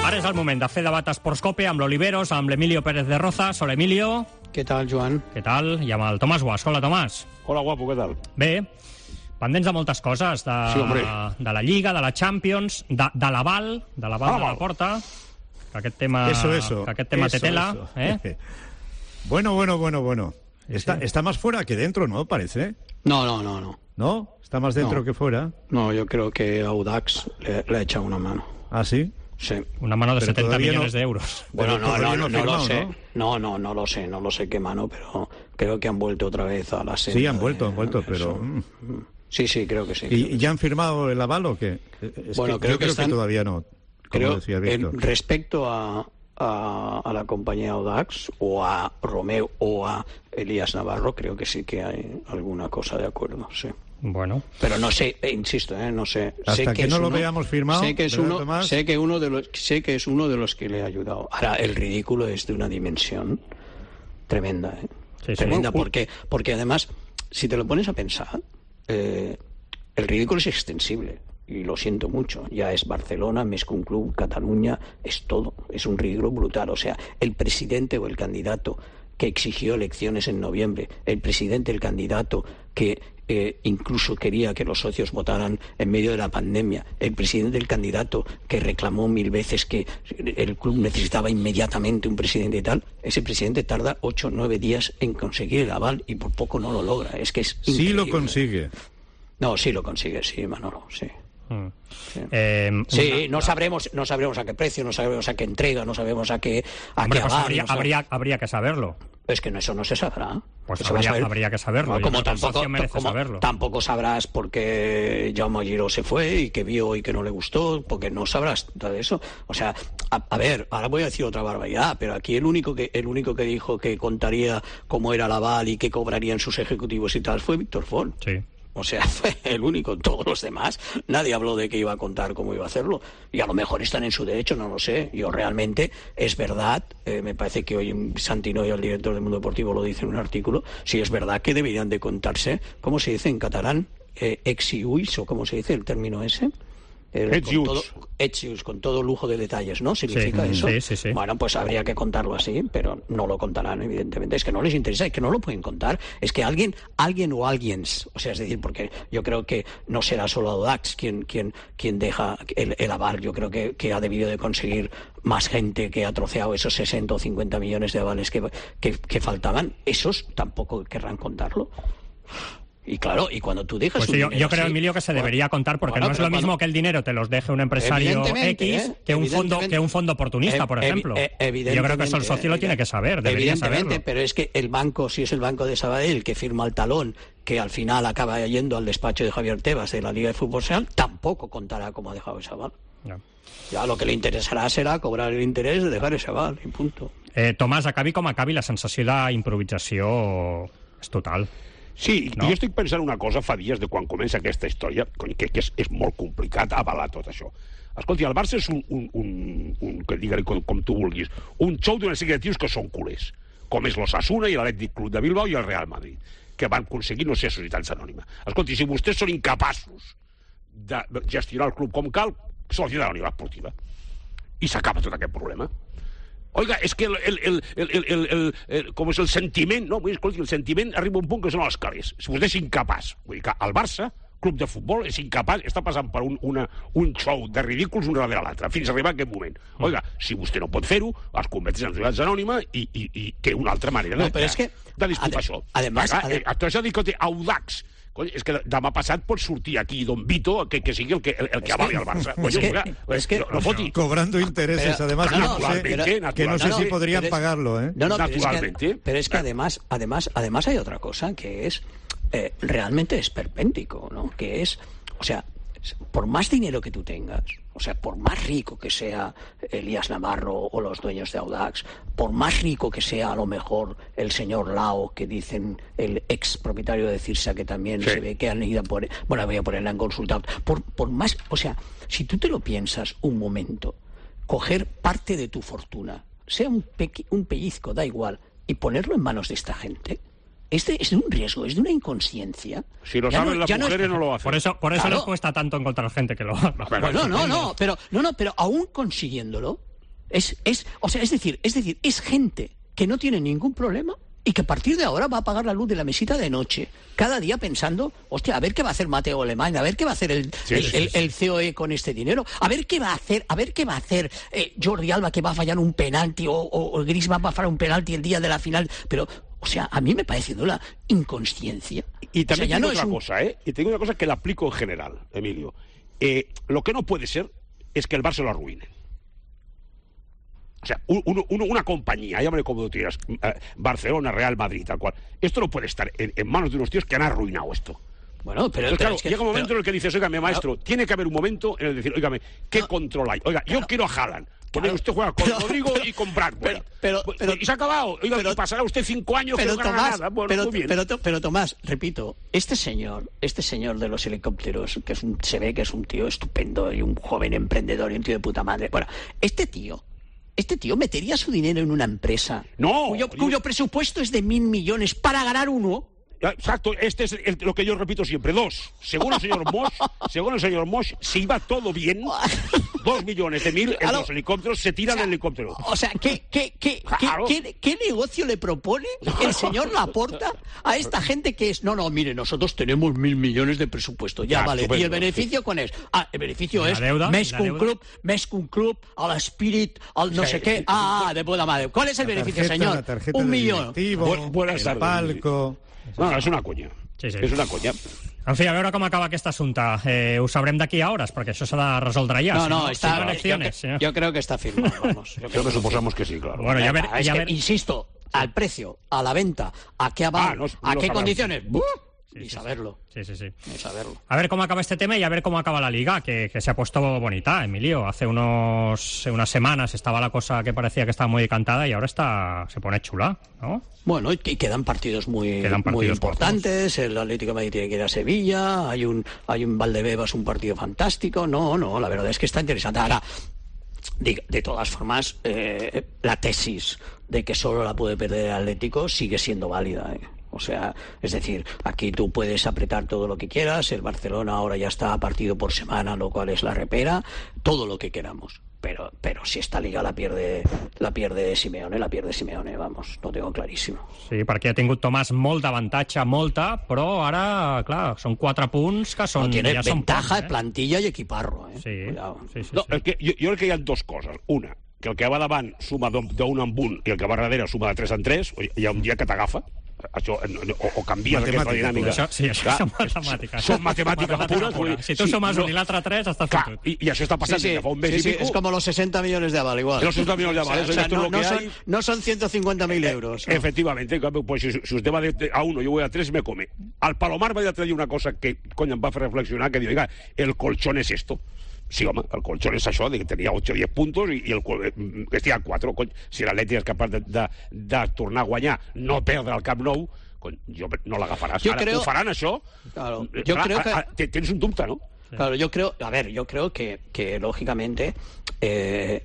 Ara és el moment de fer debat Esports-Cope amb l'Oliveros, amb l'Emilio Pérez de Rozas. Hola, Emilio. Què tal, Joan? Què tal? I amb el Tomàs Guas. Hola, Tomàs. Hola, guapo, què tal? Bé, pendents de moltes coses, de, sí, de la Lliga, de la Champions, de, de l'aval, de l'aval ah, de la Porta, que aquest tema, eso, eso, que aquest tema eso, té tela. Eso. ¿Eh? Bueno, bueno, bueno, bueno. Está, sí. está más fuera que dentro, ¿no? Parece. No, no, no, no. ¿No? Está más dentro no. que fuera. No, yo creo que Audax le, le ha echado una mano. ¿Ah, sí? Sí. Una mano de pero setenta millones no, de euros. Bueno, no, no, no, no, firmado, lo sé. ¿no? no, no, no lo sé, no lo sé qué mano, pero creo que han vuelto otra vez a la serie. Sí, han vuelto, de, han vuelto, pero... Mm. Sí, sí, creo que sí. ¿Y creo ya han firmado el aval o qué? Es bueno, que, creo, yo que, creo están, que todavía no, como creo, decía Víctor. El, respecto a, a, a la compañía Audax, o a Romeo, o a Elías Navarro, creo que sí que hay alguna cosa de acuerdo, sí. Bueno, pero no sé, eh, insisto, eh, no sé. Hasta sé que, que no uno, lo veamos firmado. Sé que es uno, Tomás? sé que uno de los, sé que es uno de los que le ha ayudado. Ahora el ridículo es de una dimensión tremenda, ¿eh? Sí, sí. Tremenda, porque, porque además, si te lo pones a pensar, eh, el ridículo es extensible. Y lo siento mucho, ya es Barcelona, més que un club, Cataluña, es todo, es un ridículo brutal. O sea, el presidente o el candidato que exigió elecciones en noviembre, el presidente, el candidato que eh, incluso quería que los socios votaran en medio de la pandemia, el presidente, el candidato que reclamó mil veces que el club necesitaba inmediatamente un presidente y tal, ese presidente tarda ocho o nueve días en conseguir el aval y por poco no lo logra. Es que es sí increíble. lo consigue. No, sí lo consigue, sí, Manolo, sí. Mm. Sí, eh, sí una... no sabremos no sabremos a qué precio, no sabemos a qué entrega, no sabemos a qué a Hombre, qué pues aval, habría, no sab... habría, habría que saberlo. Es que no, eso no se sabrá. Pues eso habría, saber... habría que saberlo. No, como tampoco, merece como saberlo. tampoco sabrás por qué Jaume Giró se fue y que vio y que no le gustó, porque no sabrás todo eso. O sea, a, a ver, ahora voy a decir otra barbaridad, pero aquí el único que el único que dijo que contaría cómo era el aval y qué cobrarían sus ejecutivos y tal fue Víctor Font. Sí. O sea, fue el único. Todos los demás, nadie habló de que iba a contar cómo iba a hacerlo. Y a lo mejor están en su derecho, no lo sé. Yo realmente, es verdad, eh, me parece que hoy Santino y el director del Mundo Deportivo lo dice en un artículo, sí es verdad que deberían de contarse, ¿cómo se dice en catalán? Eh, ex-iuis, o ¿cómo se dice el término ese? Eh, con, todo, exius, con todo lujo de detalles, ¿no? ¿Significa sí, eso? Sí, sí, sí. Bueno, pues habría que contarlo así, pero no lo contarán, evidentemente. Es que no les interesa, es que no lo pueden contar. Es que alguien, alguien o alguiens, o sea, es decir, porque yo creo que no será solo Audax quien, quien, quien deja el, el aval. Yo creo que, que ha debido de conseguir más gente que ha troceado esos sesenta o cincuenta millones de avales que, que, que faltaban. Esos tampoco querrán contarlo. Y claro, y cuando tú dejas pues un yo, dinero yo creo, así, Emilio, que se bueno, debería contar, porque bueno, no es lo cuando... mismo que el dinero te los deje un empresario X ¿eh? que un fondo que un fondo oportunista, por ejemplo. Eh, eh, yo creo que eso el socio lo tiene que saber, debería evidentemente, saberlo. Pero es que el banco, si es el banco de Sabadell que firma el talón, que al final acaba yendo al despacho de Javier Tebas de la Liga de Fútbol Real, tampoco contará cómo ha dejado ese aval. No. Ja, lo que li interessarà serà cobrar l'interès de dejar ese aval, i punto. Eh, Tomàs, acabi com acabi, la sensació d'improvisació és total. Sí, no? jo estic pensant una cosa fa dies de quan comença aquesta història, que, que és, és molt complicat avalar tot això. Escolti, el Barça és un, un, un, un que digue-li com, com tu vulguis, un xou d'una sèrie de tios que són culers, com és l'Osasuna i l'Atlètic Club de Bilbao i el Real Madrid, que van aconseguir no ser societats anònimes. Escolti, si vostès són incapaços de gestionar el club com cal, societat anònima esportiva. I s'acaba tot aquest problema. Oiga, és que el, el, el, el, el, el, el, el, com és el sentiment, no? Escolti, el sentiment arriba a un punt que són els calés. Si vostè és incapaç, vull dir que el Barça, club de futbol, és incapaç, està passant per un, una, un show de ridículs un darrere l'altre, fins a arribar a aquest moment. Oiga, si vostè no pot fer-ho, es converteix en societat anònima i, i, i té una altra manera no, de, però és que, de disputar això. Además, Acá, además, eh, això dic que té Audax. És que demà passat pot sortir aquí Don Vito, que, que sigui el que, el, el que avali el Barça. Es que, oiga, es que, no, no foti. Cobrando intereses, pero, además, no, no, sé, pero, que no sé si podrían pero es, pagarlo, ¿eh? No, no, naturalmente. Pero es que, pero es que además, además, además hay otra cosa que es eh, realmente esperpéntico, ¿no? Que es, o sea, por más dinero que tú tengas, o sea, por más rico que sea Elías Navarro o los dueños de Audax, por más rico que sea a lo mejor el señor Lao, que dicen el ex propietario de Cirsa, que también sí. se ve que han ido por, bueno, voy a ponerla en consulta, por, por más, o sea, si tú te lo piensas un momento, coger parte de tu fortuna, sea un, pequi, un pellizco, da igual, y ponerlo en manos de esta gente, Este es de un riesgo, es de una inconsciencia. Si lo saben no, las mujeres no, es... no lo hacen. Por eso, por eso claro. les cuesta tanto encontrar gente que lo haga. Bueno, no, no, no, pero no, no, pero aún consiguiéndolo, es, es, o sea, es decir, es decir, es gente que no tiene ningún problema y que a partir de ahora va a pagar la luz de la mesita de noche, cada día pensando, hostia, a ver qué va a hacer Mateo Alemán, a ver qué va a hacer el, sí, el, sí, el, sí. el C O E con este dinero, a ver qué va a hacer, a ver qué va a hacer eh, Jordi Alba, que va a fallar un penalti, o, o, o Griezmann va a fallar un penalti el día de la final, pero... O sea, a mí me parece de una inconsciencia. Y también o sea, tengo no otra un... cosa, ¿eh? Y tengo una cosa que la aplico en general, Emilio. Eh, lo que no puede ser es que el Barça lo arruine. O sea, un, un, una compañía, llámale como tú quieras, Barcelona, Real Madrid, tal cual. Esto no puede estar en, en manos de unos tíos que han arruinado esto. Bueno, pero, Entonces, pero claro, es que, llega un momento pero, en el que dices, oígame, maestro, claro, tiene que haber un momento en el que decir, oígame, ¿qué no, control hay? Oiga, claro, yo quiero a Haaland. Claro, usted juega con pero, Rodrigo pero, y con Bradbury. Pero, pero, y se ha acabado. Oiga, pero, y pasará usted cinco años pero, que no gana nada. Bueno, pero, muy bien. Pero, pero, pero, Tomás, repito, este señor, este señor de los helicópteros, que es un, se ve que es un tío estupendo y un joven emprendedor y un tío de puta madre. Bueno, este tío... Este tío metería su dinero en una empresa no, cuyo, cuyo presupuesto es de mil millones para ganar uno. Exacto, este es el, lo que yo repito siempre. Dos, según el señor Mosch, según el señor Mosch, si iba todo bien, dos millones de mil en los helicópteros, se tiran o sea, del helicóptero. O sea, ¿qué, qué, qué, claro. qué, qué, qué negocio le propone el señor Laporta a esta gente que es, no, no, mire, nosotros tenemos mil millones de presupuesto, ya, ya vale, estupendo. ¿Y el beneficio cuál es? Ah, el beneficio la es deuda, més que un club, més que un club, a l'Spirit, al no sí, sé qué, ah, de puta madre. ¿Cuál es el beneficio, señor? Un millón. Bu buenas tardes. Palco. No, no, és una conya. Sí, sí. És una conya. En fi, a veure com acaba aquest assumpte. Eh, ho sabrem d'aquí a hores, perquè això s'ha de resoldre ja. No, si no, no está, si no elecciones, yo, yo creo que está firmado, vamos. Yo creo que suposamos que sí, claro. Bueno, ya ver, es ya que, ver... insisto, al precio, a la venta, a qué aval, ah, no, a no qué sabrán. condiciones, ¡buh! Sí, Ni sí, saberlo. Sí, sí, sí. Ni saberlo. A ver cómo acaba este tema y a ver cómo acaba la Liga, que, que se ha puesto bonita, Emilio. Hace unos unas semanas estaba la cosa que parecía que estaba muy decantada y ahora está se pone chula, ¿no? Bueno, y quedan partidos muy, quedan partidos muy importantes. Cortos. El Atlético de Madrid tiene que ir a Sevilla. Hay un, hay un Valdebebas, un partido fantástico. No, no, la verdad es que está interesante. Ahora, de, de todas formas, eh, la tesis de que solo la puede perder el Atlético sigue siendo válida, ¿eh? O sea, es decir, aquí tú puedes apretar todo lo que quieras, el Barcelona ahora ya está a partido por semana, lo cual es la repera, todo lo que queramos. Pero, pero si esta liga la pierde, la pierde Simeone, la pierde Simeone, vamos, lo tengo clarísimo. Sí, perquè ha tingut Tomàs molt d'avantatge, molta, però ara, clar, són quatre punts que són... No, tiene ja ventaja, són punts, eh? plantilla y equiparro, eh? Sí, sí, sí, no, sí. El que, jo, jo crec que hi ha dues coses. Una, que el que va davant suma d'un en un i el que va darrere suma de tres en tres, hi ha un dia que t'agafa, això, o, o canvies aquesta dinàmica. Això, sí, això clar, són matemàtiques. Són matemàtiques pures. pures. Si tu sumes no, un i l'altre tres, estàs clar, fotut. I, I això està passant sí, sí, ja fa un mes sí, i sí, pico. Es como los sesenta millones de aval, igual. Los sesenta millones de aval, o sea, eso o sea, es no, lo que no, hay. son, no son ciento cincuenta mil euros. Eh, efectivamente, pues si, si usted va de, a uno, yo voy a tres, me come. Al Palomar va a traer una cosa que, coño, em va fer reflexionar, que diu, oiga, el colchón es esto. Sí, home, el colchón és això, que tenia ocho o diez puntos i, i el que estia a quatre. Cony, si l'Atleti és capaç de, de, de tornar a guanyar, no perdre el Camp Nou, cony, jo no l'agafaràs. Ara, creo... ho faran això? Claro, yo Clar, creo que... a, a, tens un dubte, ¿no? Claro, yo creo, a ver, yo creo que, que lógicamente, eh,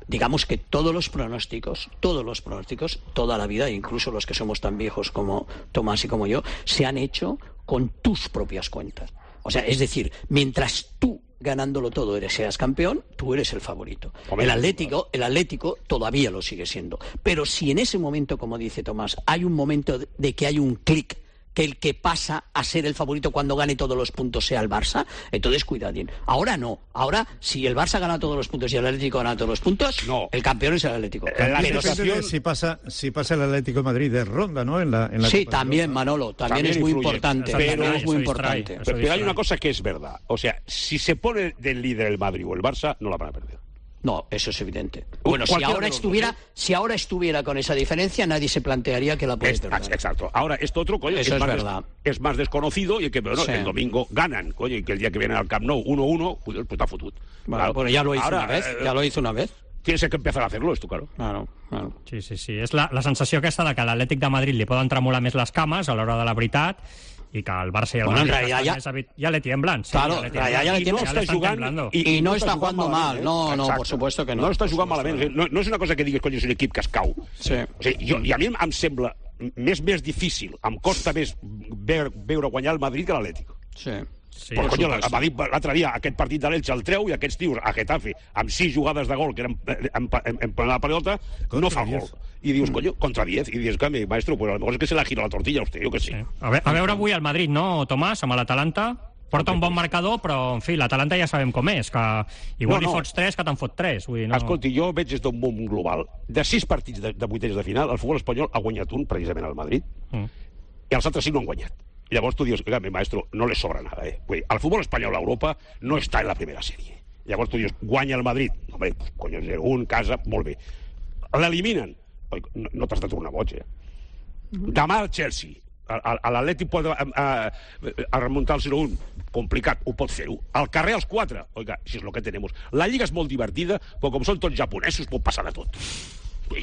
digamos que todos los pronósticos, todos los pronósticos, toda la vida, incluso los que somos tan viejos como Tomás y como yo, se han hecho con tus propias cuentas. O sea, es decir, mientras tú ganándolo todo eres seas campeón, tú eres el favorito. El Atlético, el Atlético todavía lo sigue siendo. Pero si en ese momento, como dice Tomás, hay un momento de que hay un clic, que el que pasa a ser el favorito cuando gane todos los puntos sea el Barça, entonces cuidadín. Ahora no. Ahora, si el Barça gana todos los puntos y el Atlético gana todos los puntos, no. El campeón es el Atlético. La Pero situación... si pasa si pasa el Atlético de Madrid de ronda, ¿no? En la, en la sí, también, Manolo. También, también es muy influye. importante. Pero, también es muy importante. Pero, pero hay una cosa que es verdad. O sea, si se pone del líder el Madrid o el Barça, no la van a perder. No, eso es evidente. Bueno, si ahora estuviera, dos, ¿eh? si ahora estuviera con esa diferencia, nadie se plantearía que la puede perder. Exacto. Ahora, esto otro, coño, eso es, es, más verdad. Des, es más desconocido y que bueno, sí. el domingo ganan, coño, y que el día que vienen al Camp Nou uno uno, pues, pues está fotut. Bueno, claro. Bueno, ya lo hizo ahora, una vez, eh, ya lo hizo una vez. Tienes que empezar a hacerlo, esto, claro. Claro, claro. Sí, sí, sí. És la, la sensació aquesta de que a l'Atlètic de Madrid li poden tremolar més les cames a l'hora de la veritat i que el Barça i el bueno, Madrid ya, ya, ya le tiemblan. Sí, claro, ya le tiemblan. Ya, ya le tiemblan. Y no está jugando, y, y, y no está jugando mal. No, no, por supuesto que no. No està jugant malament. No, no és una cosa que digues, coño, és un equip que es cau. Sí. O sigui, jo, I a mi em sembla més més difícil, em costa més veure, veure guanyar el Madrid que l'Atlético. Sí. Sí, Però, coño, l'altre dia aquest partit de l'Elche el treu i aquests tios a Getafe amb sis jugades de gol que eren en, en, en plena pelota no fa gol i dius, coño, contra diez i dius, cambio, maestro, pues a lo mejor es que se la gira la tortilla a usted, jo que sé. Sí. A, ve a veure avui el Madrid, no, Tomàs, amb l'Atalanta porta un bon marcador, però, en fi, l'Atalanta ja sabem com és, que igual no, no. li fots tres que te'n fot tres. Vull dir, no... Escolti, jo veig des d'un món global. De sis partits de, de vuitens de final, el futbol espanyol ha guanyat un, precisament al Madrid, mm. i els altres cinc no han guanyat. Y llavors tu dius, oiga, mi maestro, no le sobra nada, eh? Pues, el fútbol español a Europa no está en la primera serie. Y llavors tu dius, guanya el Madrid. Hombre, pues, coño, un, casa, molt bé. L'eliminen. No, no t'has de tornar boig, eh? Demà el Chelsea. L'Atlètic pot a, a, a remuntar el zero un. Complicat, ho pot fer-ho. Al carrer els quatre. Oiga, si és lo que tenemos. La lliga és molt divertida, però com són tots japonesos pot passar de tot.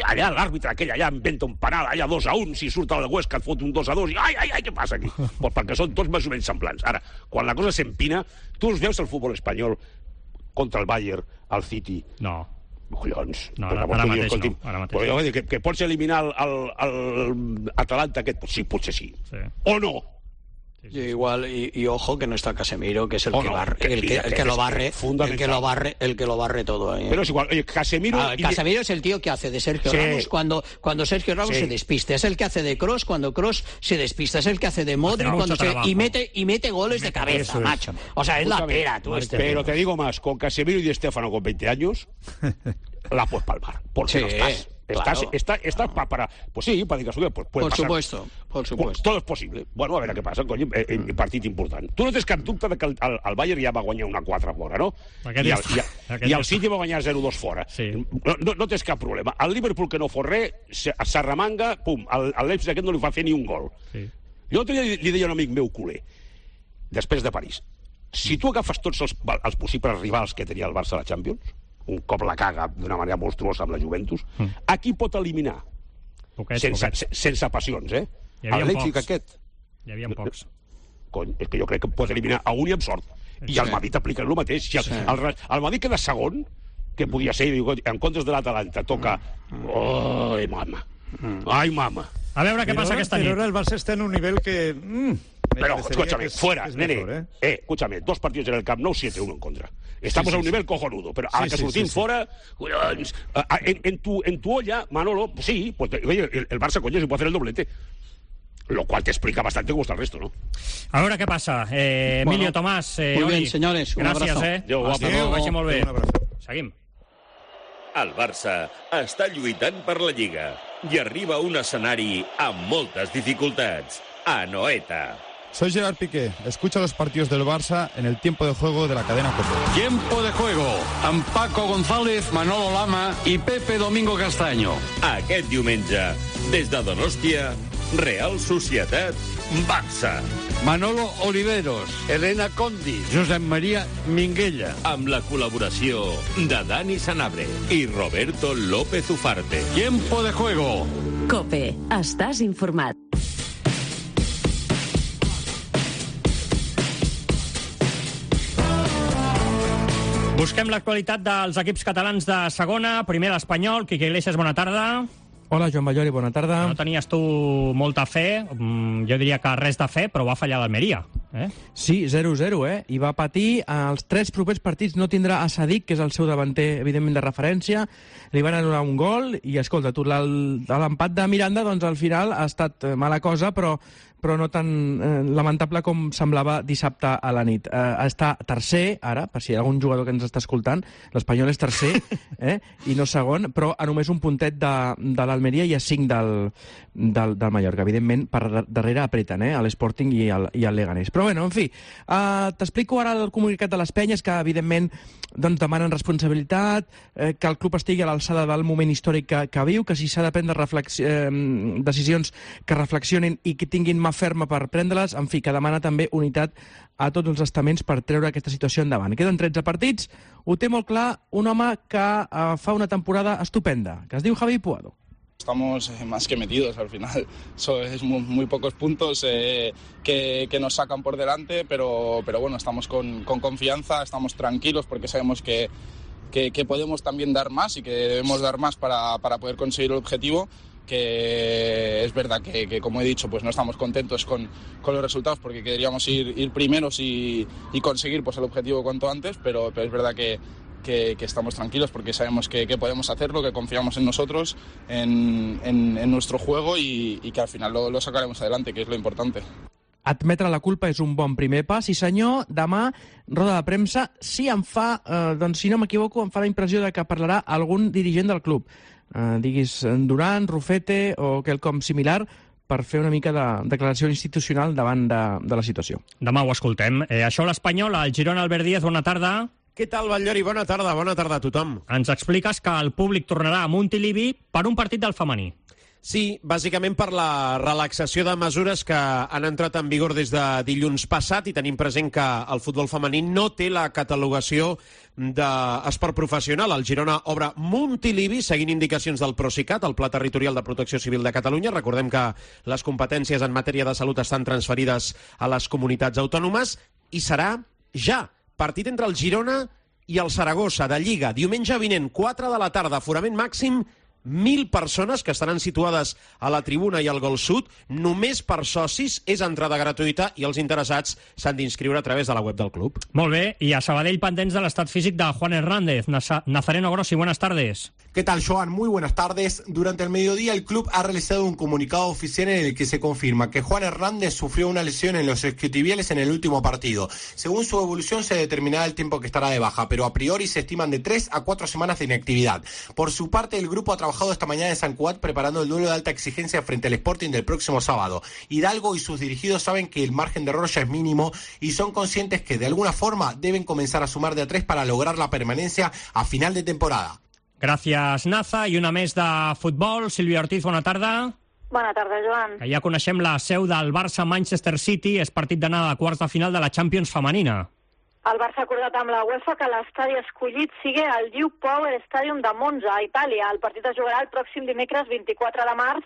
Allà l'àrbitre aquell allà inventa un penal, allà dos a un, si surt el Huesca et fot un dos a dos i ai, ai, ai, què passa aquí? Pues perquè són tots més o menys semblants. Ara, quan la cosa s'empina, tu us veus el futbol espanyol contra el Bayern, el City? No. Collons. No, ara, ara mateix no. Ara mateix no. Que, que pots eliminar el, el, el Atalanta aquest? Sí, potser sí. sí. O no? Y igual y, y ojo que no está Casemiro, que es el Oh, que no, barre, que el que, mira, el que que lo es barre, fundamental. el que lo barre, el que lo barre todo ahí. ¿eh? Pero es igual, oye, Casemiro... Ah, Casemiro es el tío que hace de Sergio Sí. Ramos cuando, cuando Sergio Ramos Sí. se despista, es el que hace de Kroos cuando Kroos se despista, es el que hace de Modric Hace cuando mucho se, trabajo. y mete y mete goles de cabeza, macho. O sea, es la Escúchame, pera, tú este. Pero te digo más, con Casemiro y Di Stéfano con veinte años, la puedes palmar. Porque Sí, no estás. claro. Estás, está, estás pa- para... Pues sí, para dir que pues, puede Por pasar. supuesto, por supuesto. Todo és possible. Bueno, a veure què passa, cony, eh, eh, partit important. Tu no tens cap dubte de que el, el, el Bayern ja va guanyar una quatre fora, no? Aquest I ja el, està. i, Aquest i ja el City va guanyar zero dos fora. Sí. No, no, no tens cap problema. El Liverpool, que no fos res, se- s'arremanga, pum, el, el Leipzig aquest no li fa fer ni un gol. Sí. Jo l'altre dia li, li deia a un amic meu culer, després de París, si tu agafes tots els, els possibles rivals que tenia el Barça a la Champions, un cop la caga d'una manera monstruosa amb la Juventus, mm. a qui pot eliminar? Poquets, sense, poquets. se- sense passions, eh? Hi havia El Leipzig pocs. aquest. Hi havia pocs. Cony, és que jo crec que pot eliminar a un i amb sort. I el Madrid aplica el mateix. Si el, Sí. el, el Madrid queda segon, que podia ser, diu, en comptes de l'Atalanta, toca... Ai, mama. Ai, mama. A veure què Pero passa ahora- aquesta pero nit. ahora el Barça está en un nivel que... mm, me Pero, parecería escúchame, que es- fuera, es nene. mejor, ¿eh? Eh, escúchame, dos partidos en el Camp Nou, siete uno en contra. Estamos Sí, sí, a un sí. nivel cojonudo, pero a la Sí, que sí, surtim sí, sí. fora... collons, a- a- En, en, tu, en tu olla, Manolo, pues sí, pues, oye, el, el Barça, coño, se puede hacer el doblete. Lo cual te explica bastante cómo está el resto, ¿no? A veure què passa. Eh, Emilio, Bueno, Tomàs, eh, muy Oli. bien, señores, un Gràcies, abrazo. eh? Adéu, Hasta guapo. luego, que vagi molt bé. Un abrazo. Seguim. El Barça està lluitant per la Lliga i arriba a un escenari amb moltes dificultats. Anoeta. Soy Gerard Piqué. Escucha los partidos del Barça en el tiempo de juego de la cadena COPE. Tiempo de juego amb Paco González, Manolo Lama i Pepe Domingo Castaño. Aquest diumenge, des de Donòstia, Real Societat, Barça. Manolo Oliveros, Elena Condi, Josep María Minguella. Amb la col·laboració de Dani Sanabria i Roberto López Ufarte. Tiempo de juego. COPE. Estàs informat. Busquem l'actualitat dels equips catalans de segona. Primer l'Espanyol. Quique Iglesias, bona tarda. Hola, Joan Ballori, bona tarda. No tenies tu molta fe, mm, jo diria que res de fe, però va fallar l'Almeria. Eh? Sí, zero zero, eh? I va patir. Els tres propers partits no tindrà a Sadik, que és el seu davanter, evidentment, de referència. Li van anul·lar un gol i, escolta, tu, l'el- l'empat de Miranda, doncs, al final ha estat eh, mala cosa, però però no tan eh, lamentable com semblava dissabte a la nit. Eh, està tercer, ara, per si hi ha algun jugador que ens està escoltant, l'Espanyol és tercer, eh, i no segon, però a només un puntet de, de l'Almeria i a cinc del, del, del Mallorca. Evidentment, per dar- darrere apreten, eh, l'Sporting i el, i el Leganés. Però bueno, en fi, eh, t'explico ara el comunicat de les penyes, que evidentment doncs, demanen responsabilitat, eh, que el club estigui a l'alçada del moment històric que, que viu, que si s'ha de prendre reflex- eh, decisions que reflexionin i que tinguin mà ferma per prendre-les, en fi, que demana també unitat a tots els estaments per treure aquesta situació endavant. Queden tretze partits, ho té molt clar un home que eh, fa una temporada estupenda, que es diu Javi Puado. Estamos eh, más que metidos al final. So, es muy, muy pocos puntos eh, que, que nos sacan por delante, pero, pero bueno, estamos con, con confianza, estamos tranquilos porque sabemos que, que, que podemos también dar más y que debemos dar más para, para poder conseguir el objetivo. Que es verdad que, que, como he dicho, pues no estamos contentos con, con los resultados porque queríamos ir, ir primeros y, y conseguir pues, el objetivo cuanto antes, pero, pero es verdad que, que, que estamos tranquilos porque sabemos que, que podemos hacerlo, que confiamos en nosotros, en, en, en nuestro juego y, y que al final lo, lo sacaremos adelante, que es lo importante. Admetre la culpa és un bon primer pas. I senyor, demà, roda de premsa, si em fa, eh, doncs si no m'equivoco, em fa la impressió de que parlarà algun dirigent del club. Eh, diguis Duran, Rufete o quelcom similar, per fer una mica de declaració institucional davant de, de la situació. Demà ho escoltem. Eh, això l'Espanyol, el Girona, Albert Díaz, bona tarda. Què tal, Batllori? Bona tarda, bona tarda a tothom. Ens expliques que el públic tornarà a Montilivi per un partit del femení. Sí, bàsicament per la relaxació de mesures que han entrat en vigor des de dilluns passat i tenim present que el futbol femení no té la catalogació d'esport professional. El Girona obre Montilivi seguint indicacions del Procicat, el Pla Territorial de Protecció Civil de Catalunya. Recordem que les competències en matèria de salut estan transferides a les comunitats autònomes i serà ja partit entre el Girona i el Saragossa de Lliga. Diumenge vinent, quatre de la tarda, aforament màxim mil persones que estaran situades a la tribuna i al gol sud, només per socis, és entrada gratuïta i els interessats s'han d'inscriure a través de la web del club. Molt bé, i a Sabadell pendents de l'estat físic de Juan Hernández. Nazareno Grossi, buenas tardes. ¿Qué tal, Joan? Muy buenas tardes. Durante el mediodía el club ha realizado un comunicado oficial en el que se confirma que Juan Hernández sufrió una lesión en los isquiotibiales en el último partido. Según su evolución se determinará el tiempo que estará de baja, pero a priori se estiman de tres a cuatro semanas de inactividad. Por su parte, el grupo ha trabajado esta mañana en San Cugat preparando el duelo de alta exigencia frente al Sporting del próximo sábado. Hidalgo y sus dirigidos saben que el margen de error ya es mínimo y son conscientes que de alguna forma deben comenzar a sumar de a tres para lograr la permanencia a final de temporada. Gràcies, Naza. I una més de futbol. Sílvia Ortiz, bona tarda. Bona tarda, Joan. Que ja coneixem la seu del Barça-Manchester City. És partit d'anada a quarts de final de la Champions femenina. El Barça ha acordat amb la UEFA que l'estadi escollit sigui el Diu Power Stadium de Monza, a Itàlia. El partit es jugarà el pròxim dimecres vint-i-quatre de març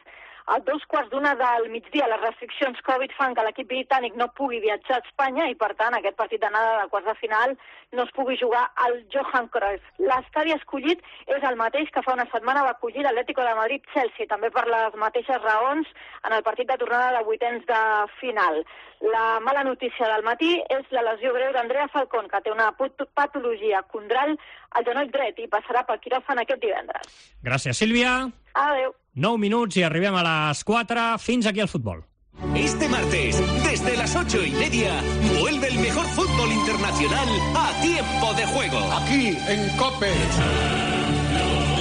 a dos quarts d'una del migdia. Les restriccions Covid fan que l'equip britànic no pugui viatjar a Espanya i, per tant, aquest partit d'anada de quarts de final no es pugui jugar al Johan Cruyff. L'estadi escollit és el mateix que fa una setmana va acollir l'Atlético de Madrid-Chelsea, també per les mateixes raons en el partit de tornada de vuitens de final. La mala notícia del matí és la lesió greu d'Andrea Falcón, que té una patologia condral al genoll dret i passarà pel quiròfan aquest divendres. Gràcies, Sílvia. Adéu. nou minuts i arribem a les quatre. Fins aquí el futbol. Este martes, desde las ocho y media, vuelve el mejor fútbol internacional a tiempo de juego. Aquí, en COPE.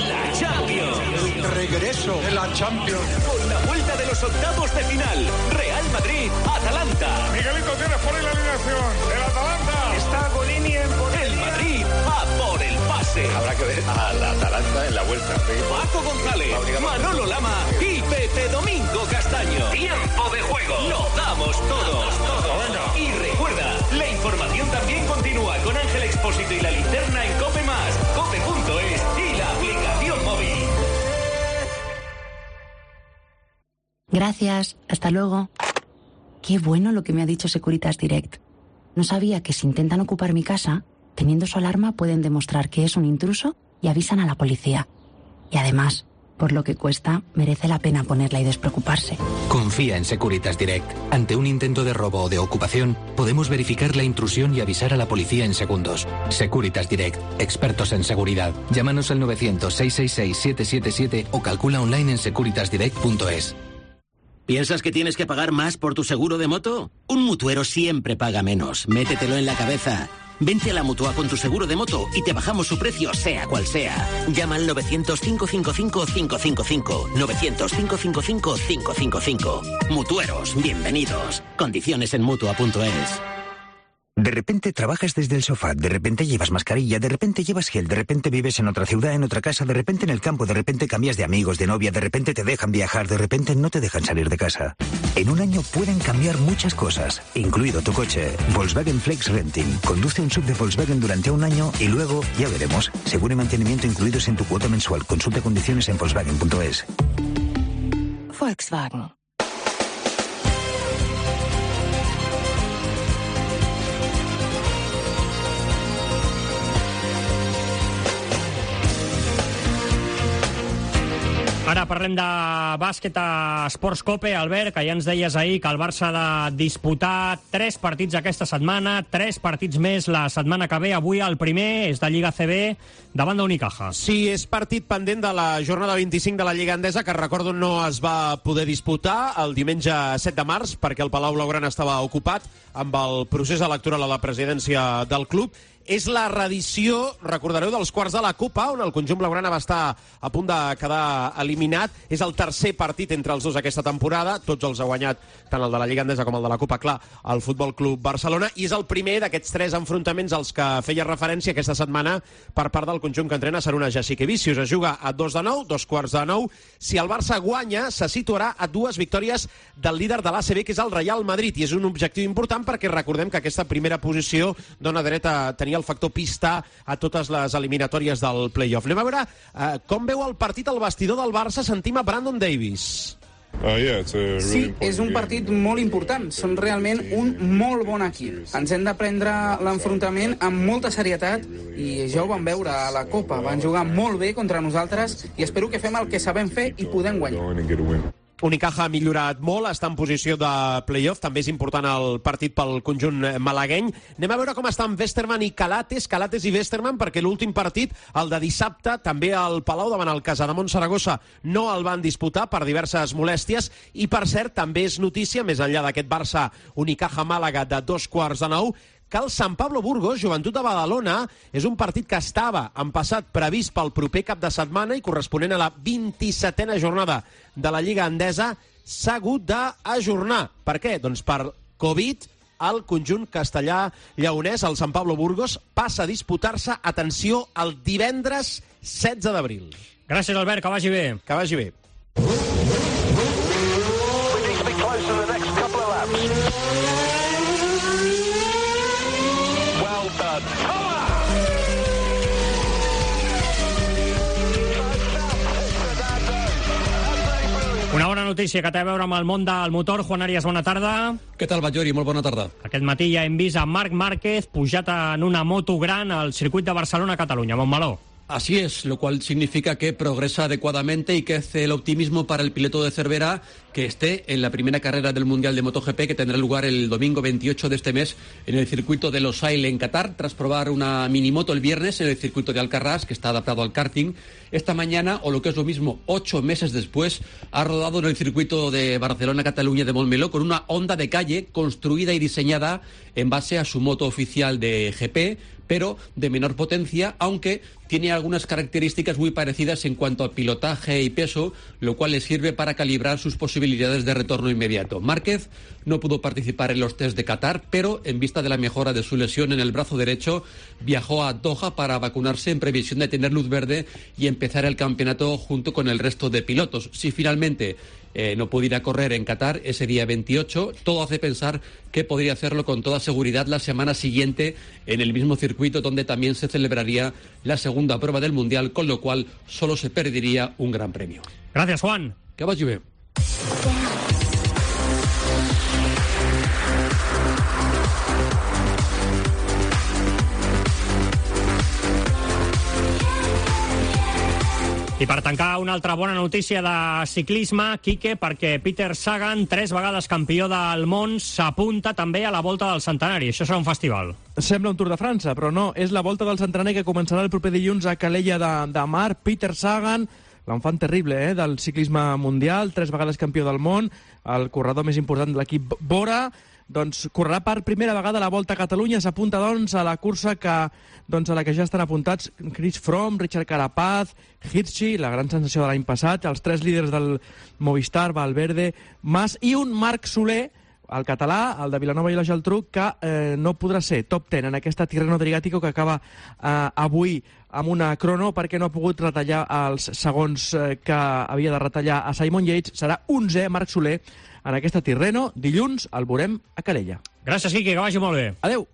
La Champions. El regreso de la Champions. Con la vuelta de los octavos de final. Real Madrid, Atalanta. Miguelito, tienes por ahí la alineación. El Atalanta. Está Golini en portería. El Madrid a por el pase. Habrá que ver al Atalanta en la vuelta. Paco González, Manolo Lama y Pepe Domingo Castaño. Tiempo de juego. Lo damos todos. todos. Y recuerda, la información también continúa con Ángel Expósito y la linterna en Cope Más, cope punto es y la aplicación móvil. Gracias. Hasta luego. Qué bueno lo que me ha dicho Securitas Direct. No sabía que si intentan ocupar mi casa, teniendo su alarma pueden demostrar que es un intruso y avisan a la policía. Y además, por lo que cuesta, merece la pena ponerla y despreocuparse. Confía en Securitas Direct. Ante un intento de robo o de ocupación, podemos verificar la intrusión y avisar a la policía en segundos. Securitas Direct. Expertos en seguridad. Llámanos al novecientos, seiscientos sesenta y seis, setecientos setenta y siete o calcula online en securitas direct punto es. ¿Piensas que tienes que pagar más por tu seguro de moto? Un mutuero siempre paga menos. Métetelo en la cabeza. Vente a la Mutua con tu seguro de moto y te bajamos su precio, sea cual sea. Llama al novecientos, cinco cinco cinco, cinco cinco cinco. novecientos, cinco cinco cinco, cinco cinco cinco. Mutueros, bienvenidos. Condiciones en mutua punto es. De repente trabajas desde el sofá, de repente llevas mascarilla, de repente llevas gel, de repente vives en otra ciudad, en otra casa, de repente en el campo, de repente cambias de amigos, de novia, de repente te dejan viajar, de repente no te dejan salir de casa. En un año pueden cambiar muchas cosas, incluido tu coche. Volkswagen Flex Renting. Conduce un sub de Volkswagen durante un año y luego, ya veremos, seguro y mantenimiento incluidos en tu cuota mensual. Consulta condiciones en volkswagen punto es. Volkswagen. Ara parlem de bàsquet a Esports Cope. Albert, que ja ens deies ahir que el Barça ha de disputar tres partits aquesta setmana, tres partits més la setmana que ve. Avui el primer és de Lliga C B davant d'Unicaja. Sí, és partit pendent de la jornada vint-i-cinc de la Lliga Endesa, que recordo no es va poder disputar el diumenge set de març perquè el Palau Blaugrana estava ocupat amb el procés electoral a la presidència del club. És la reedició, recordareu, dels quarts de la Copa, on el conjunt blaugrana va estar a punt de quedar eliminat. És el tercer partit entre els dos aquesta temporada. Tots els ha guanyat, tant el de la Lliga Endesa com el de la Copa, clar, el Futbol Club Barcelona. I és el primer d'aquests tres enfrontaments als que feia referència aquesta setmana per part del conjunt que entrena Saruna Jasikevičius. Es juga a dos de nou, dos quarts de nou. Si el Barça guanya, se situarà a dues victòries del líder de l'A C B, que és el Real Madrid. I és un objectiu important perquè recordem que aquesta primera posició dona dret a tenir el factor pista a totes les eliminatòries del play-off. Anem a veure eh, com veu el partit al vestidor del Barça. Sentim a Brandon Davis. Sí, és un partit molt important. Són realment un molt bon equip. Ens hem de prendre l'enfrontament amb molta serietat i ja ho vam veure a la Copa. Van jugar molt bé contra nosaltres i espero que fem el que sabem fer i podem guanyar. Unicaja ha millorat molt, està en posició de play-off, també és important el partit pel conjunt malagueny. Anem a veure com estan Westerman i Calates, Calates i Westerman, perquè l'últim partit, el de dissabte, també al Palau davant el Casademont Saragossa, no el van disputar per diverses molèsties, i per cert, també és notícia, més enllà d'aquest Barça Unicaja-Màlaga de dos quarts de nou, que el Sant Pablo Burgos, Joventut de Badalona, és un partit que estava en passat previst pel proper cap de setmana i corresponent a la vint-i-setena jornada de la Lliga Endesa, s'ha hagut d'ajornar. Per què? Doncs per Covid, el conjunt castellà-lleonès, el Sant Pablo Burgos, passa a disputar-se, atenció, el divendres setze d'abril. Gràcies, Albert, que vagi bé. Que vagi bé. Una bona notícia que té a veure amb el món del motor. Juan Arias, bona tarda. Què tal, Ballori? Molt bona tarda. Aquest matí ja hem vist a Marc Márquez pujat en una moto gran al circuit de Barcelona-Catalunya, Montmeló. Así es, lo cual significa que progresa adecuadamente y que hace el optimismo para el piloto de Cervera que esté en la primera carrera del Mundial de MotoGP que tendrá lugar el domingo veintiocho de este mes en el circuito de Losail en Qatar, tras probar una minimoto el viernes en el circuito de Alcarràs, que está adaptado al karting. Esta mañana, o lo que es lo mismo, ocho meses después, ha rodado en el circuito de Barcelona-Cataluña de Montmeló con una Honda de calle construida y diseñada en base a su moto oficial de G P, pero de menor potencia, aunque tiene algunas características muy parecidas en cuanto a pilotaje y peso, lo cual le sirve para calibrar sus posibilidades de retorno inmediato. Márquez no pudo participar en los test de Qatar, pero en vista de la mejora de su lesión en el brazo derecho, viajó a Doha para vacunarse en previsión de tener luz verde y empezar el campeonato junto con el resto de pilotos. Si finalmente Eh, no pudiera correr en Qatar ese día veintiocho, todo hace pensar que podría hacerlo con toda seguridad la semana siguiente en el mismo circuito donde también se celebraría la segunda prueba del Mundial, con lo cual solo se perdería un gran premio. Gracias, Juan. Que vagi bé. I per tancar, una altra bona notícia de ciclisme, Quique, perquè Peter Sagan, tres vegades campió del món, s'apunta també a la Volta del Centenari. Això serà un festival. Sembla un Tour de França, però no. És la Volta del Centenari que començarà el proper dilluns a Calella de, de Mar. Peter Sagan, l'enfant terrible eh, del ciclisme mundial, tres vegades campió del món, el corredor més important de l'equip Bora, doncs correrà per primera vegada la Volta a Catalunya. S'apunta doncs a la cursa que, doncs, a la que ja estan apuntats Chris Froome, Richard Carapaz, Hirschi, la gran sensació de l'any passat, els tres líders del Movistar, Valverde, Mas i un Marc Soler, el català, el de Vilanova i la Geltrú, que eh, no podrà ser top ten en aquesta Tirreno Adriàtico que acaba eh, avui amb una crono perquè no ha pogut retallar els segons eh, que havia de retallar a Simon Yates. Serà onzè Marc Soler en aquesta Tirreno. Dilluns el veurem a Calella. Gràcies, Quique, que vagi molt bé. Adéu.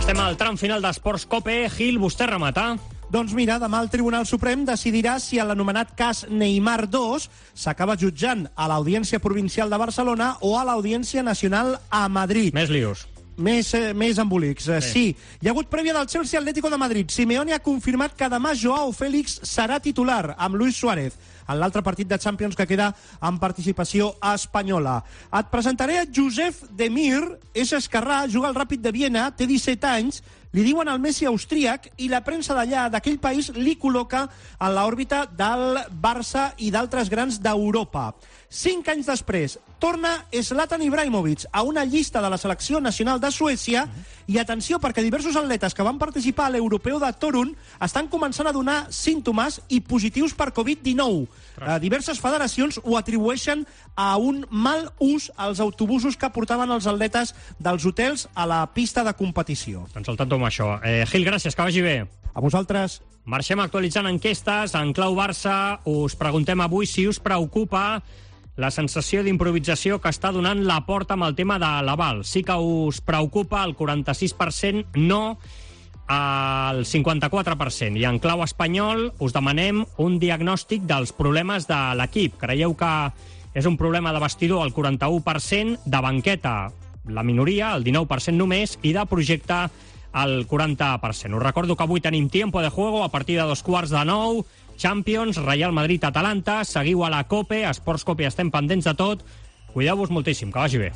Estem al tram final d'Esports Cope. Gil, vostè remata. Doncs mira, demà el Tribunal Suprem decidirà si l'anomenat cas Neymar dos s'acaba jutjant a l'Audiència Provincial de Barcelona o a l'Audiència Nacional a Madrid. Més lios. Més, eh, més embolics. Sí. sí. Hi ha hagut prèvia del Chelsea Atlético de Madrid. Simeone ha confirmat que demà Joao Félix serà titular amb Luis Suárez en l'altre partit de Champions que queda en participació espanyola. Et presentaré a Josef Demir, és esquerrà, juga al Ràpid de Viena, té disset anys, li diuen el Messi austríac i la premsa d'allà, d'aquell país, li col·loca en l'òrbita del Barça i d'altres grans d'Europa. Cinc anys després, torna Zlatan Ibrahimovic a una llista de la selecció nacional de Suècia i atenció, perquè diversos atletes que van participar a l'Europeu de Torun estan començant a donar símptomes i positius per covid dinou. Eh, diverses federacions ho atribueixen a un mal ús als autobusos que portaven els atletes dels hotels a la pista de competició. Doncs al tanto amb això. Eh, Gil, gràcies, que vagi bé. A vosaltres. Marxem actualitzant enquestes. En clau Barça us preguntem avui si us preocupa la sensació d'improvisació que està donant la Porta amb el tema de l'aval. Sí que us preocupa el quaranta-sis per cent, no al cinquanta-quatre per cent. I en clau espanyol us demanem un diagnòstic dels problemes de l'equip. Creieu que és un problema de vestidor al quaranta-u per cent, de banqueta la minoria, el dinou per cent només, i de projecte al quaranta per cent. Us recordo que avui tenim tiempo de juego a partir de dos quarts de nou, Champions, Real Madrid-Atalanta, seguiu a la COPE, a Esports COPE, estem pendents de tot. Cuideu-vos moltíssim, que vagi bé.